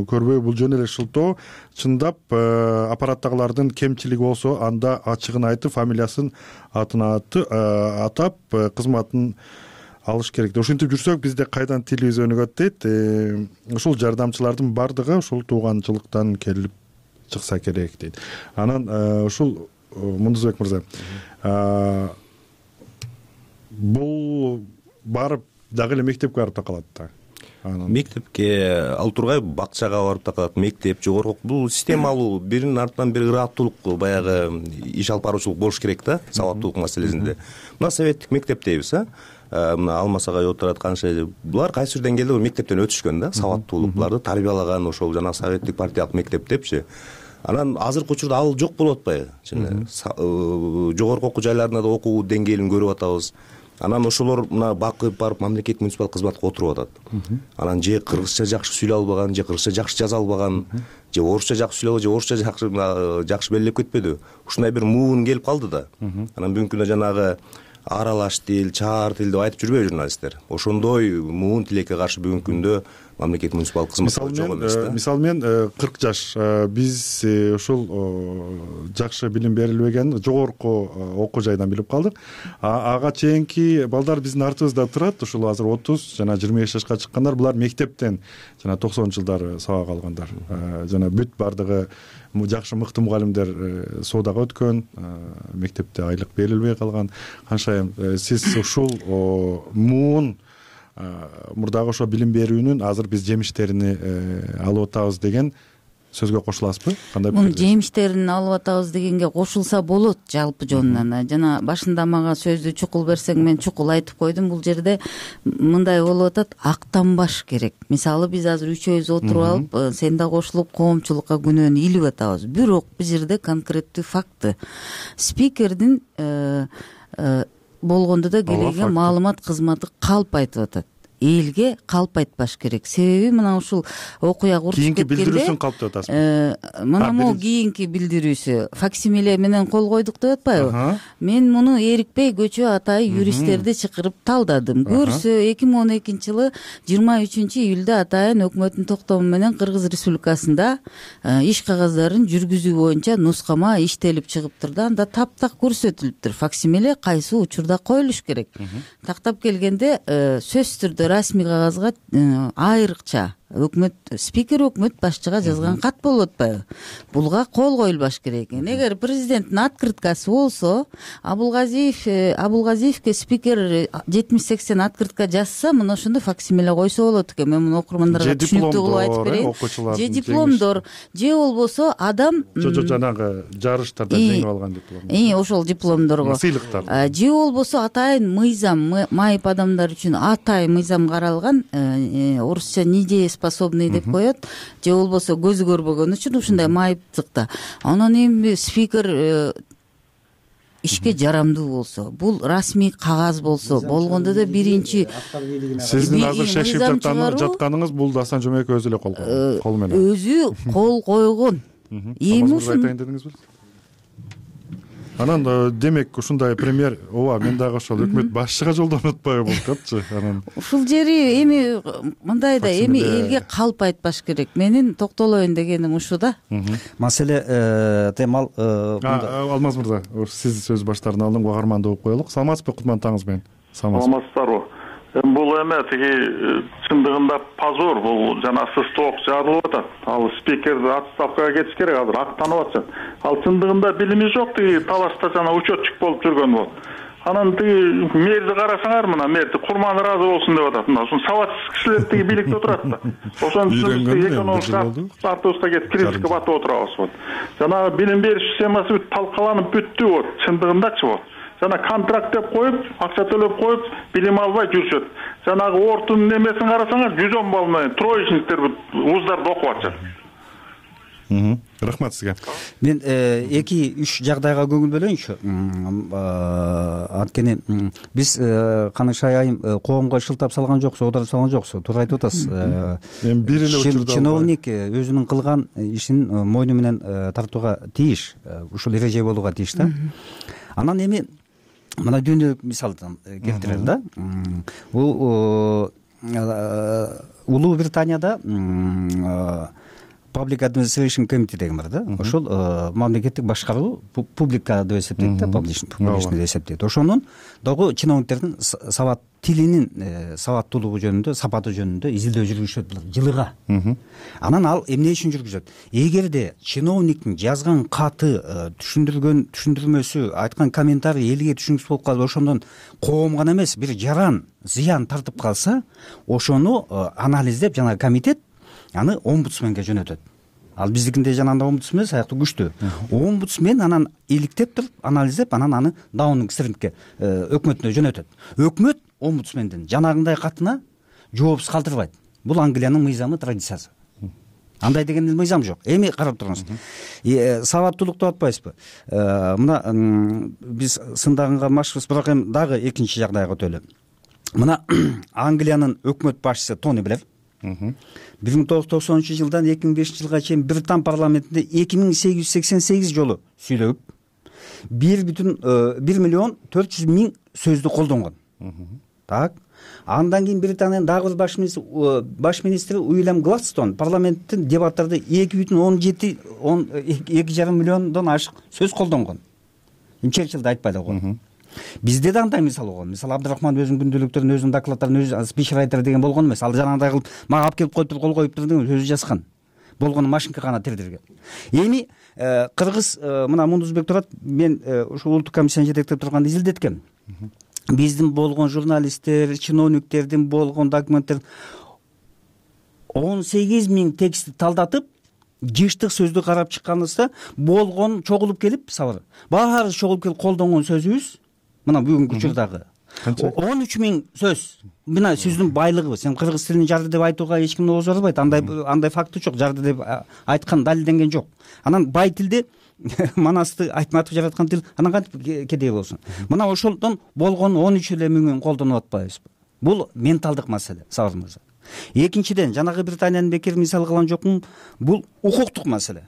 көрбөй, бул жөн эле шылтоо. Чындап аппараттагылардын кемчилиги болсо, анда ачыгын айтып, фамилиясын, атын атап кызматын алыш керек. Ошентип жүрсөк, бизде кайдан тилибиз өнүгөт дейт. Ушул жардамчылардын бардыгы ушул тууганчылыктан келип чыкса керек дейт. Анан ушул Мундузбек мырза, бул барып дагы эле мектепке барып такалат да. Мектепке ал тургай, бакчага барып такалат, мектеп, жогорку, бул системалуу, биринин артынан бири ыраттуулук, баягы иш алып баруучулук болуш керек да, сабаттуулук маселесинде. Мына советтик мектеп дейбиз, мына Алмасагай отурат, канча булар кайсы бир деңгээлде мектептен өтүшкөн да, сабаттуулук, буларды тарбиялаган ошол жана советтик партиялык мектеп депчи. Анан азыркы учурда ал жок болуп атпайбы? Жогорку окуу жайларында да окуу деңгээлин көрүп атабыз. Анан ошолор мына бакып барып мамлекеттик муниципалдык кызматка отуруп атат. Анан же кыргызча жакшы сүйлөй албаган, же кыргызча жакшы жаза албаган, же орусча жакшы сүйлөбөй, же орусча жакшы белгилеп кетпеди. Ушундай бир муун келип калды да. Анан бүгүнкү күндө жанагы аралаш тил, чаар тил деп айтып жүрбөйбү журналисттер? Ошондой муун тилекке каршы бүгүнкү күндө мамлекеттик муниципалдык кызмат жок эмес да. Мисалы мен 40 жаш биз ушул жакшы билим берилбеген жогорку окуу жайдан билип калдык. Ага чейинки балдар биздин артыбызда турат. Ушул азыр 30 жана 25 жашка чыккандар, булар мектептен жана 90-жылдары сабак алгандар. Жана бүт бардыгы жакшы мыкты мугалимдер соодага өткөн, мектепте айлык берилбей калган. Канча сиз ушул муун мурдагы ошо билим берүүнүн азыр биз жемиштерин алып атабыз деген сөзгө кошуласызбы? Кандай пикир? Жемиштерин алып атабыз дегенге кошулса болот жалпы жонунан. Жана башында мага сөздү чукул берсең, мен чукул айтып койдум. Бул жерде мындай болуп атат, актанбаш керек. Мисалы биз азыр үчөөбүз отуруп алып, сен да кошулуп коомчулукка күнөөнү илип атабыз. Бирок бул жерде конкреттүү факты. Спикердин болгондо да келген маалымат кызматы калп айтып атат. Элге калп айтпаш керек. Себеби мына ушул окуя курчуп кеткенде кийинки билдирүүсүн калп деп атасыз. Мына могу кийинки билдирүүсү факсимиле менен кол койдук деп атпайбы? Мен муну эрикпей көчө атай юристтерди чакырып талдадым. Көрсө 2012-жылы 23-июлда атайын өкмөттүн токтому менен Кыргыз Республикасында иш кагаздарын жүргүзүү боюнча нускама иштелип чыгыптыр да, анда таптак көрсөтүлүптүр. Факсимиле кайсы учурда коюлуш керек. Тактап келгенде сөзсүз түрдө расмий кагазга айрыкча өкмөт спикер өкмөт башчыга жазган кат болуп атпайбы? Булга кол коюлбаш керек экен. Эгер президенттин открыткасы болсо, Абулгазиевке спикер 70-80 открытка жазса, мына ошондо факсимиле койсо болот экен. Мен муну окурмандарга түшүнүктүү кылып айтып берейин. Же дипломдор, же болбосо адам жанагы жарыштарда жеңип алган диплом. Ошол дипломдорго сыйлыктар. Же болбосо атайын мыйзам, майып адамдар үчүн атайын мыйзам каралган, орусча недееспособный деп коет, же болбосо көзү көрбөгөн үчүн ушундай майыптыкта. Анан эми спикер ишке жарамдуу болсо, бул расмий кагаз болсо, болгондо да биринчи сиздин азыр шешип жатканыңыз бул Дастан Жомекович өзү эле кол менен. Өзү кол койгон. Эми ушун айтайын дедиңизби? Анан демек ушундай премьер, ооба, мен дагы ошол өкмөт башчыга жолдонуп атпайбы болчу. Анан ушул жери эми мындай да, эми элге калп айтпаш керек. Менин токтолоюн дегеним ушу да. Маселе темал Алмаз мырза, сиз сөз баштарын алдым, угарманды угуп коелук. Саламатсызбы, кутман таңыңыз менен. Саламатсыздарбы? Бул эме тиги чындыгында позор, бул жана сысток жазылып атат. Ал спикер отставкага кетиш керек азыр, актанып атат. Ал чындыгында билими жок, тиги талашта жана учетчик болуп жүргөн болот. Анан тиги мэрди карасаңар, мына мэрди курман ыраазы болсун деп атат. Мына ушун сабатсыз кишилер тиги бийликте отурат да. Ошон үчүн биз экономика партиясына кетип критика батып отурабыз болот. Жана билим бериш системасы бүт талкаланып бүттү болот, чындыгындачы болот. Жана контракт деп коюп, акча төлөп коюп, билим албай жүрүшөт. Жанагы ортун немесин карасаңар, 110 балл менен троечниктер вуздарда окуп атышат. Рахмат сизге. Мен 2-3 жагдайга көңүл бөлөйүнчү. Анткени биз Каныкшай айым коомго шылтап салган жоксу, оодарып салган жоксу, туура айтып атасыз. Мен бир эле учурда чиновник өзүнүн кылган ишин мойну менен тартууга тийиш, ушул эреже болууга тийиш да. Анан эми мына дүйнөлүк мисалдан келтирели да. Бул Улуу Британияда Public Administration Committee деген бар да. Ошол мамлекеттик башкаруу публика деп эсептейт да, публичный деп эсептейт. Ошонун дагы чиновниктердин сабат тилинин сабаттуулугу жөнүндө, сапаты жөнүндө изилдөө жүргүзүшөт жылыга. Анан ал эмне үчүн жүргүзөт? Эгерде чиновниктин жазган каты, түшүндүрмөсү, айткан комментарий элге түшүнүксүз болуп калып, ошондон коом гана эмес, бир жаран, зыян тартып калса, ошону анализдеп жана комитет аны омбудсменге жөнөтөт. Ал биздикинде жанагындай омбудсмен саяктуу күчтүү. Омбудсмен анан иликтеп туруп, анализдеп, анан аны Даунинг-Стрингке өкмөтүнө жөнөтөт. Өкмөт омбудсмендин жанагындай катына жоопсуз калтырбайт. Бул Англиянын мыйзамы, традициясы. Андай деген мыйзам жок. Эми карап туруңуз. Сабаттуулук деп атпайсызбы? Мына биз сындагынга машыкпыз, бирок эми дагы экинчи жагдайга өтөлү. Мына Англиянын өкмөт башчысы Тони Блэр 1990 жылдан 2005 жылга чейин Британ парламентинде 2888 жолу сүйлөп, 1,4 сөздү колдонгон. Так. Андан кийин Британиянын дагы бир баш министри Уильям Гладстон парламенттин дебаттарда 2,2 миллиондон ашык сөз колдонгон. Черчиллди айтпай эле койгон. Бизде да андай мисал болгон. Мисалы Абдурахман өзүнүн күндөлүктөрүн, өзүнүн докладдарын өзү спичрайтер деген болгон эмес. Ал жанагындай кылып мага алып келип коюптур, кол коюптур деген өзү жазган. Болгону машинка гана тердирген. Эми кыргыз мына Мундузбек турат, мен ушул улуттук комиссияны жетектеп турганда изилдеткем. Биздин болгон журналисттер, чиновниктердин болгон документтер 18 000 текстти талдатып, жыштык сөздү карап чыкканыбызда болгон чогулуп келип, сабыр. Баары чогулуп келип колдонгон сөзүбүз мына бүгүнкү учурдагы 13 000 сөз. Мына сиздин байлыгыбыз. Сен кыргыз тилин жарды деп айтууга эч ким ооз барбайт. Андай факты жок. Жарды деп айткан далилденген жок. Анан бай тилде Манасты Айтматов жараткан тил анан кантип кедей болсун. Мына ошолдон болгон 13 эле миңин колдонуп атпайбызбы? Бул менталдык маселе, сабыр мырза. Экинчиден, жанагы Британиянын бекер мисал кылган жокмун, бул укуктук маселе.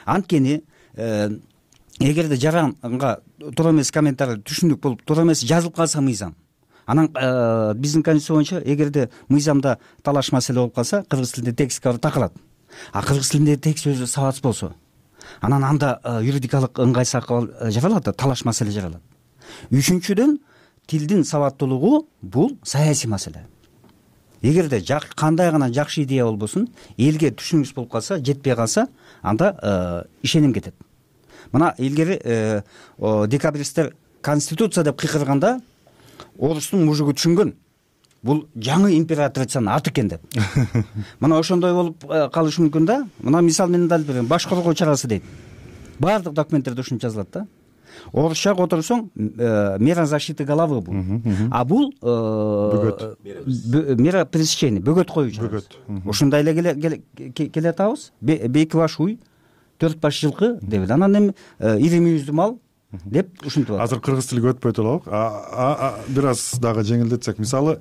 Анткени эгерде жаранга туура эмес комментарий түшүндүк болуп, туура эмес жазылып калса мыйзам, анан биздин конституция боюнча эгерде мыйзамда талаш маселе болуп калса, кыргыз тилинде текстке барып такалат. А кыргыз тилинде текст өзү сабатсыз болсо, анан анда юридикалык ыңгайсыздык жаралат, талаш маселе жаралат. Үчүнчүдөн, тилдин сабаттуулугу бул саясий маселе. Эгерде кандай гана жакшы идея болбосун, элге түшүнүксүз болуп калса, жетпей калса, анда ишеним кетет. Мына илгери декабристтер конституция деп кыйкырганда орустун мужугу түшүнгөн. Бул жаңы императрицанын аты экен деп. Мына ошондой болуп калышы мүмкүн да. Мына мисал менен далил берем. Баш коргоо чарасы дейт. Баардык документтерде ушинче жазылат да. Орусча которсоң мера защиты головы бул. А бул мера пресечения, бөгөт коюу чарасы. Ушундай эле келе атабыз. Бейки баш уй, 4 баш жылкы деп. Анан эми ири мүйүздүү мал деп ушинтип атат. Азыр кыргыз тилге өтпөй туралык. Бир аз дагы жеңилдетсек, мисалы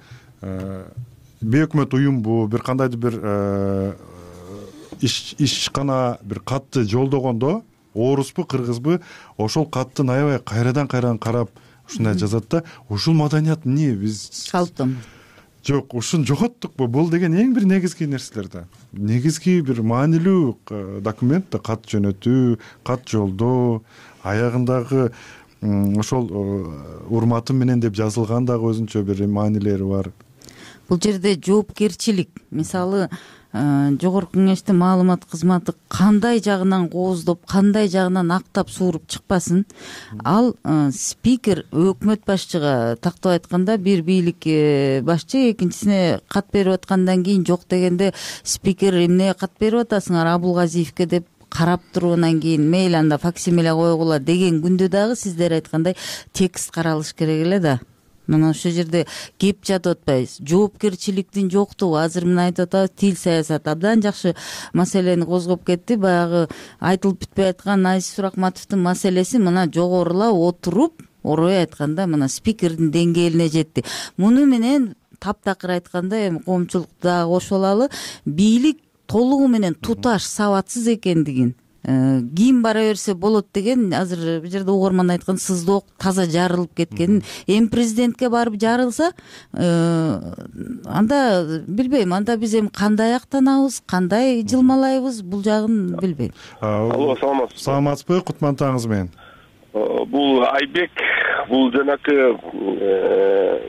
бейөкмөт уюм бу бир кандайдыр бир ишкана бир катты жолдогондо орусбу, кыргызбы, ошол каттын аябай кайрадан карап ушундай жазат да. Ушул маданият эмне биз калыптан жок, ушун жоготтукпу? Бул деген эң бир негизги нерселер да. Негизги бир маанилүү документ да, кат жөнөтүү, кат жолдоо, аягындагы ошол урматым менен деп жазылган дагы өзүнчө бир маанилери бар. бул жерде жоопкерчилик, мисалы жогорку кеңештин маалымат кызматы кандай жагынан кооздоп, кандай жагынан актап сууруп чыкпасын, ал спикер өкмөт башчыга тактап айтканда бир бийлик башчы экинчисине кат берип аткандан кийин жок дегенде спикер эмнеге кат берип атасыңар Абулгазиевке деп карап туруп анан кийин мейли анда факсимиле койгула деген күндө дагы сиздер айткандай текст каралыш керек эле да. Мына ошол жерде кеп жатып атпайбыз. Жоопкерчиликтин жоктугу азыр мына айтып атабыз, тил саясаты абдан жакшы маселени козгоп кетти. Баягы айтылып бүтпөй аткан Азиз Суракматовдун маселеси мына жогорула отуруп, орой айтканда мына спикердин деңгээлине жетти. Муну менен таптакыр айтканда эми коомчулукта дагы кошо алалы, бийлик толугу менен туташ, сабатсыз экендигин, кийин бара берсе болот деген азыр бул жерде угарман айткан сыздоок таза жарылып кеткенин, эми президентке барып жарылса, анда билбейм, анда биз эми кандай актанабыз, кандай жылмалайбыз, бул жагын билбейм. Алло, саламатсызбы? Саламатсызбы, кутмандтаңыз менен. Бул Айбек, бул жанакы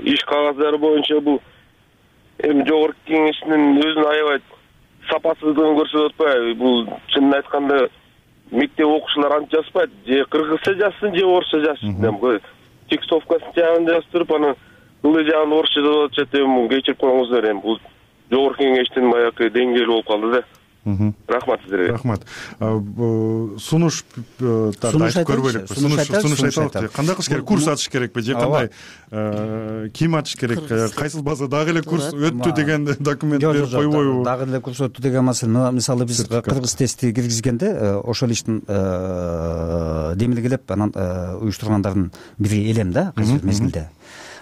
иш кагаздары боюнча бул эми жогорку кеңештин өзүн аябай сапасыздыгын көрсөтүп атпайбы? Бул чынын айтканда мектеп окуучулар антип жазышпайт, же кыргызча жазсын, же орусча жазсын. Текстовкасын жагын жаздырып, анан ылдый жагын орусча жазып атышат. Эми кечирип коюңуздар, эми бул жогорку кеңештин баягы деңгээли болуп калды да. Рахмат сиздерге. Рахмат. Сунуш айтып көрбөйлүкпү. Сунуш айталык. Кандай кылыш керек? Курс ачыш керекпи же кандай? Ким ачыш керек? Кайсыл база дагы эле курс өттү деген документ берип койбойбу? Дагы эле курс өттү деген маселе. Мисалы биз кыргыз тести киргизгенде ошол иштин демилгелеп анан уюштургандардын бири элем да азыр мезгилде.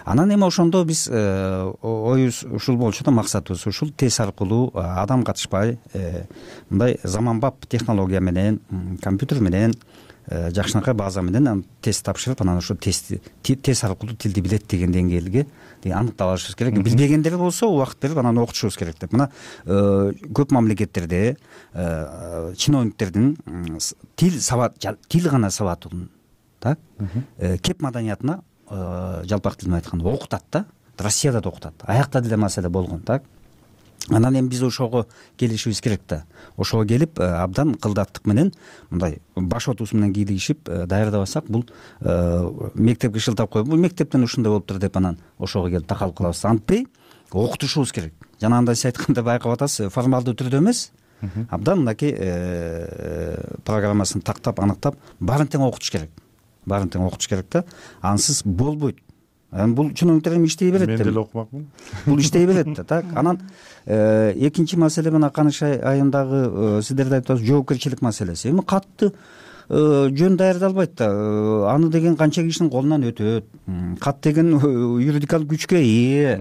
Анан эми ошондо биз оюбуз ушул болчу да, максатыбыз ушул тест аркылуу адам катышпай мындай заманбап технология менен, компьютер менен, жакшынакай база менен тест тапшырып, анан ошол тест аркылуу тилди билет деген деңгээлге аныктап алышыбыз керек. Билбегендери болсо убакыт берип анан окутушубуз керек деп. Мына көп мамлекеттерде чиновниктердин тил гана сабаттуу, так, кеп маданиятына жалпак тил менен айтканда окутат да. Россияда да окутат. Аякта деле маселе болгон, так. Анан эми биз ошого келишибиз керек да. Ошого келип абдан кылдаттык менен мындай баш отубуз менен кийлигишип даярдабасак, бул мектепке шылтап коюп, бул мектептен ушундай болуптур деп анан ошого келип такалып калабыз. Антпей окутушубуз керек. Жана анда сиз айткандай байкап атасыз, формалдуу түрдө эмес, абдан мынакей программасын тактап, аныктап, баарын тең окутуш керек. Баарын тең окутуш керек да. Ансыз болбойт. Бул чиновниктер эми иштей берет. Мен деле окумакмын. Бул иштей берет да, так. Анан экинчи маселе мына Каныш айындагы сиздерде айтасыз жоопкерчилик маселеси. Эми катты жөн даярдалбайт да. Аны деген канча кишинин колунан өтөт. Кат деген юридикалык күчкө ээ.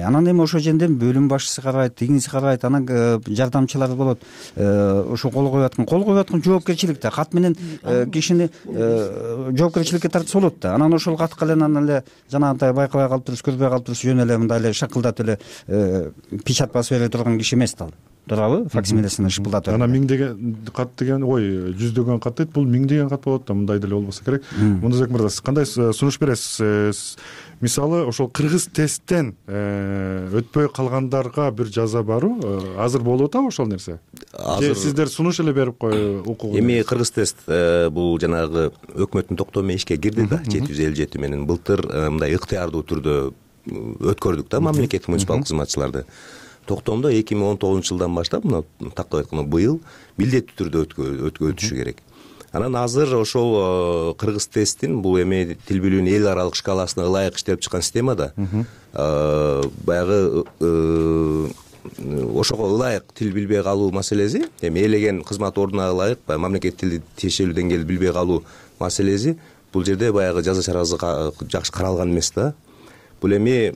Анан эми ошол жерде бөлүм башчысы карайт, тигиниси карайт, анан жардамчылар болот. Ошо кол коюп аткан жоопкерчилик да. Кат менен кишини жоопкерчиликке тартса болот да. Анан ошол катка эле анан эле жанагындай байкабай калып туруп, көрбөй калып туруп, жөн эле мындай эле шакылдатып эле печать басып бере турган киши эмес да. Туурабы? Факсимилесин шыпылдатып. Анан миңдеген кат деген, жүздөгөн кат дейт, бул миңдеген кат болот да, мындай деле болбосо керек. Мунузбек мырза, сиз кандай сунуш бересиз? Мисалы, ошол кыргыз тесттен өтпөй калгандарга бир жаза барбы? Азыр болуп атабы ошол нерсе? Же сиздер сунуш эле берип укугу? Эми кыргыз тест бул жанагы өкмөттүн токтому менен ишке кирди да, 757 менен. Былтыр мындай ыктыярдуу түрдө өткөрдүк да мамлекеттик муниципалдык кызматчыларды. Токтомдо 2019 жылдан баштап, мына тактап айтканда быйыл милдеттүү түрдө өтүшү керек. Анан азыр ошол кыргыз тесттин бул эми тил билүүнүн эл аралык шкаласына ылайык иштелип чыккан система да. Баягы ошого ылайык тил билбей калуу маселеси, эми элеген кызмат ордуна ылайык мамлекеттик тилди тиешелүү деңгээлде билбей калуу маселеси бул жерде баягы жаза чарасы жакшы каралган эмес да. Бул эми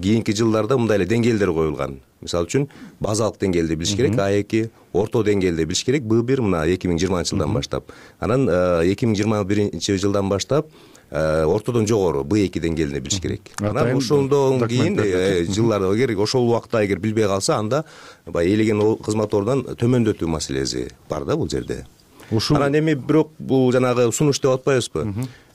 кийинки жылдарда мындай эле деңгээлдер коюлган. Мисалы үчүн базалык деңгээлде билиш керек, А2, орто деңгээлде билиш керек. Б1 мына 2020 жылдан баштап. Анан 2021 жылдан баштап ортодон жогору Б2 деңгээлинде билиш керек. Анан ошондон кийин жылдарда керек, ошол убакта эгер билбей калса, анда баягы элеген кызмат ордунан төмөндөтүү маселеси бар да бул жерде. Анан эми бирок бул жанагы сунуш деп атпайбызбы?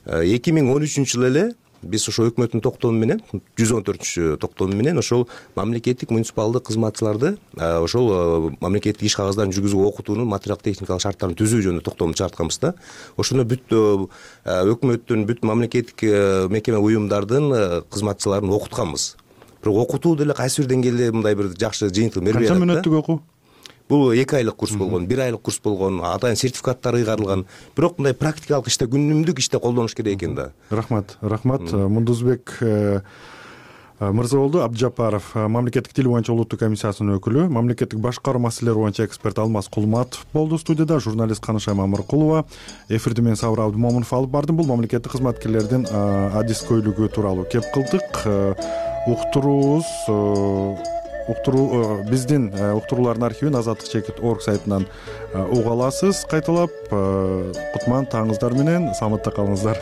2013 жылы эле биз ошо өкмөттүн токтому менен 114 токтому менен ошол мамлекеттик муниципалдык кызматчыларды ошол мамлекеттик иш кагаздарын жүргүзүүгө окутуунун материалдык техникалык шарттарын түзүү жөнүндө токтому чыгартканбыз да. Ошондо бүт өкмөттүн бүт мамлекеттик мекеме уюмдардын кызматчыларын окутканбыз. Бирок окутуу деле кайсы бир деңгээлде мындай бир жакшы жыйынтык бербей атат. Канча мүнөттүк окуу? Бул 2 айлык курс болгон, 1 айлык курс болгон, атайын сертификаттар ыйгарылган. Бирок мындай практикалык иште, күнүмдүк иште колдонуш керек экен да. Рахмат. Мундузбек Мырзаболду Абдыжапаров, мамлекеттик тил боюнча улуттук комиссиясынын өкүлү, мамлекеттик башкаруу маселелери боюнча эксперт Алмаз Кулматов болду студияда, журналист Канышай Мамыркулова. Эфирди мен Сабыр Абдымомунов алып бардым. Бул мамлекеттик кызматкерлердин адискөйлүгү тууралуу кеп кылдык. Биздин уктуруулардын архивин azadlik.org сайтынан уга аласыз. Кайталап, кутман таңыңыздар менен саламатта калыңыздар.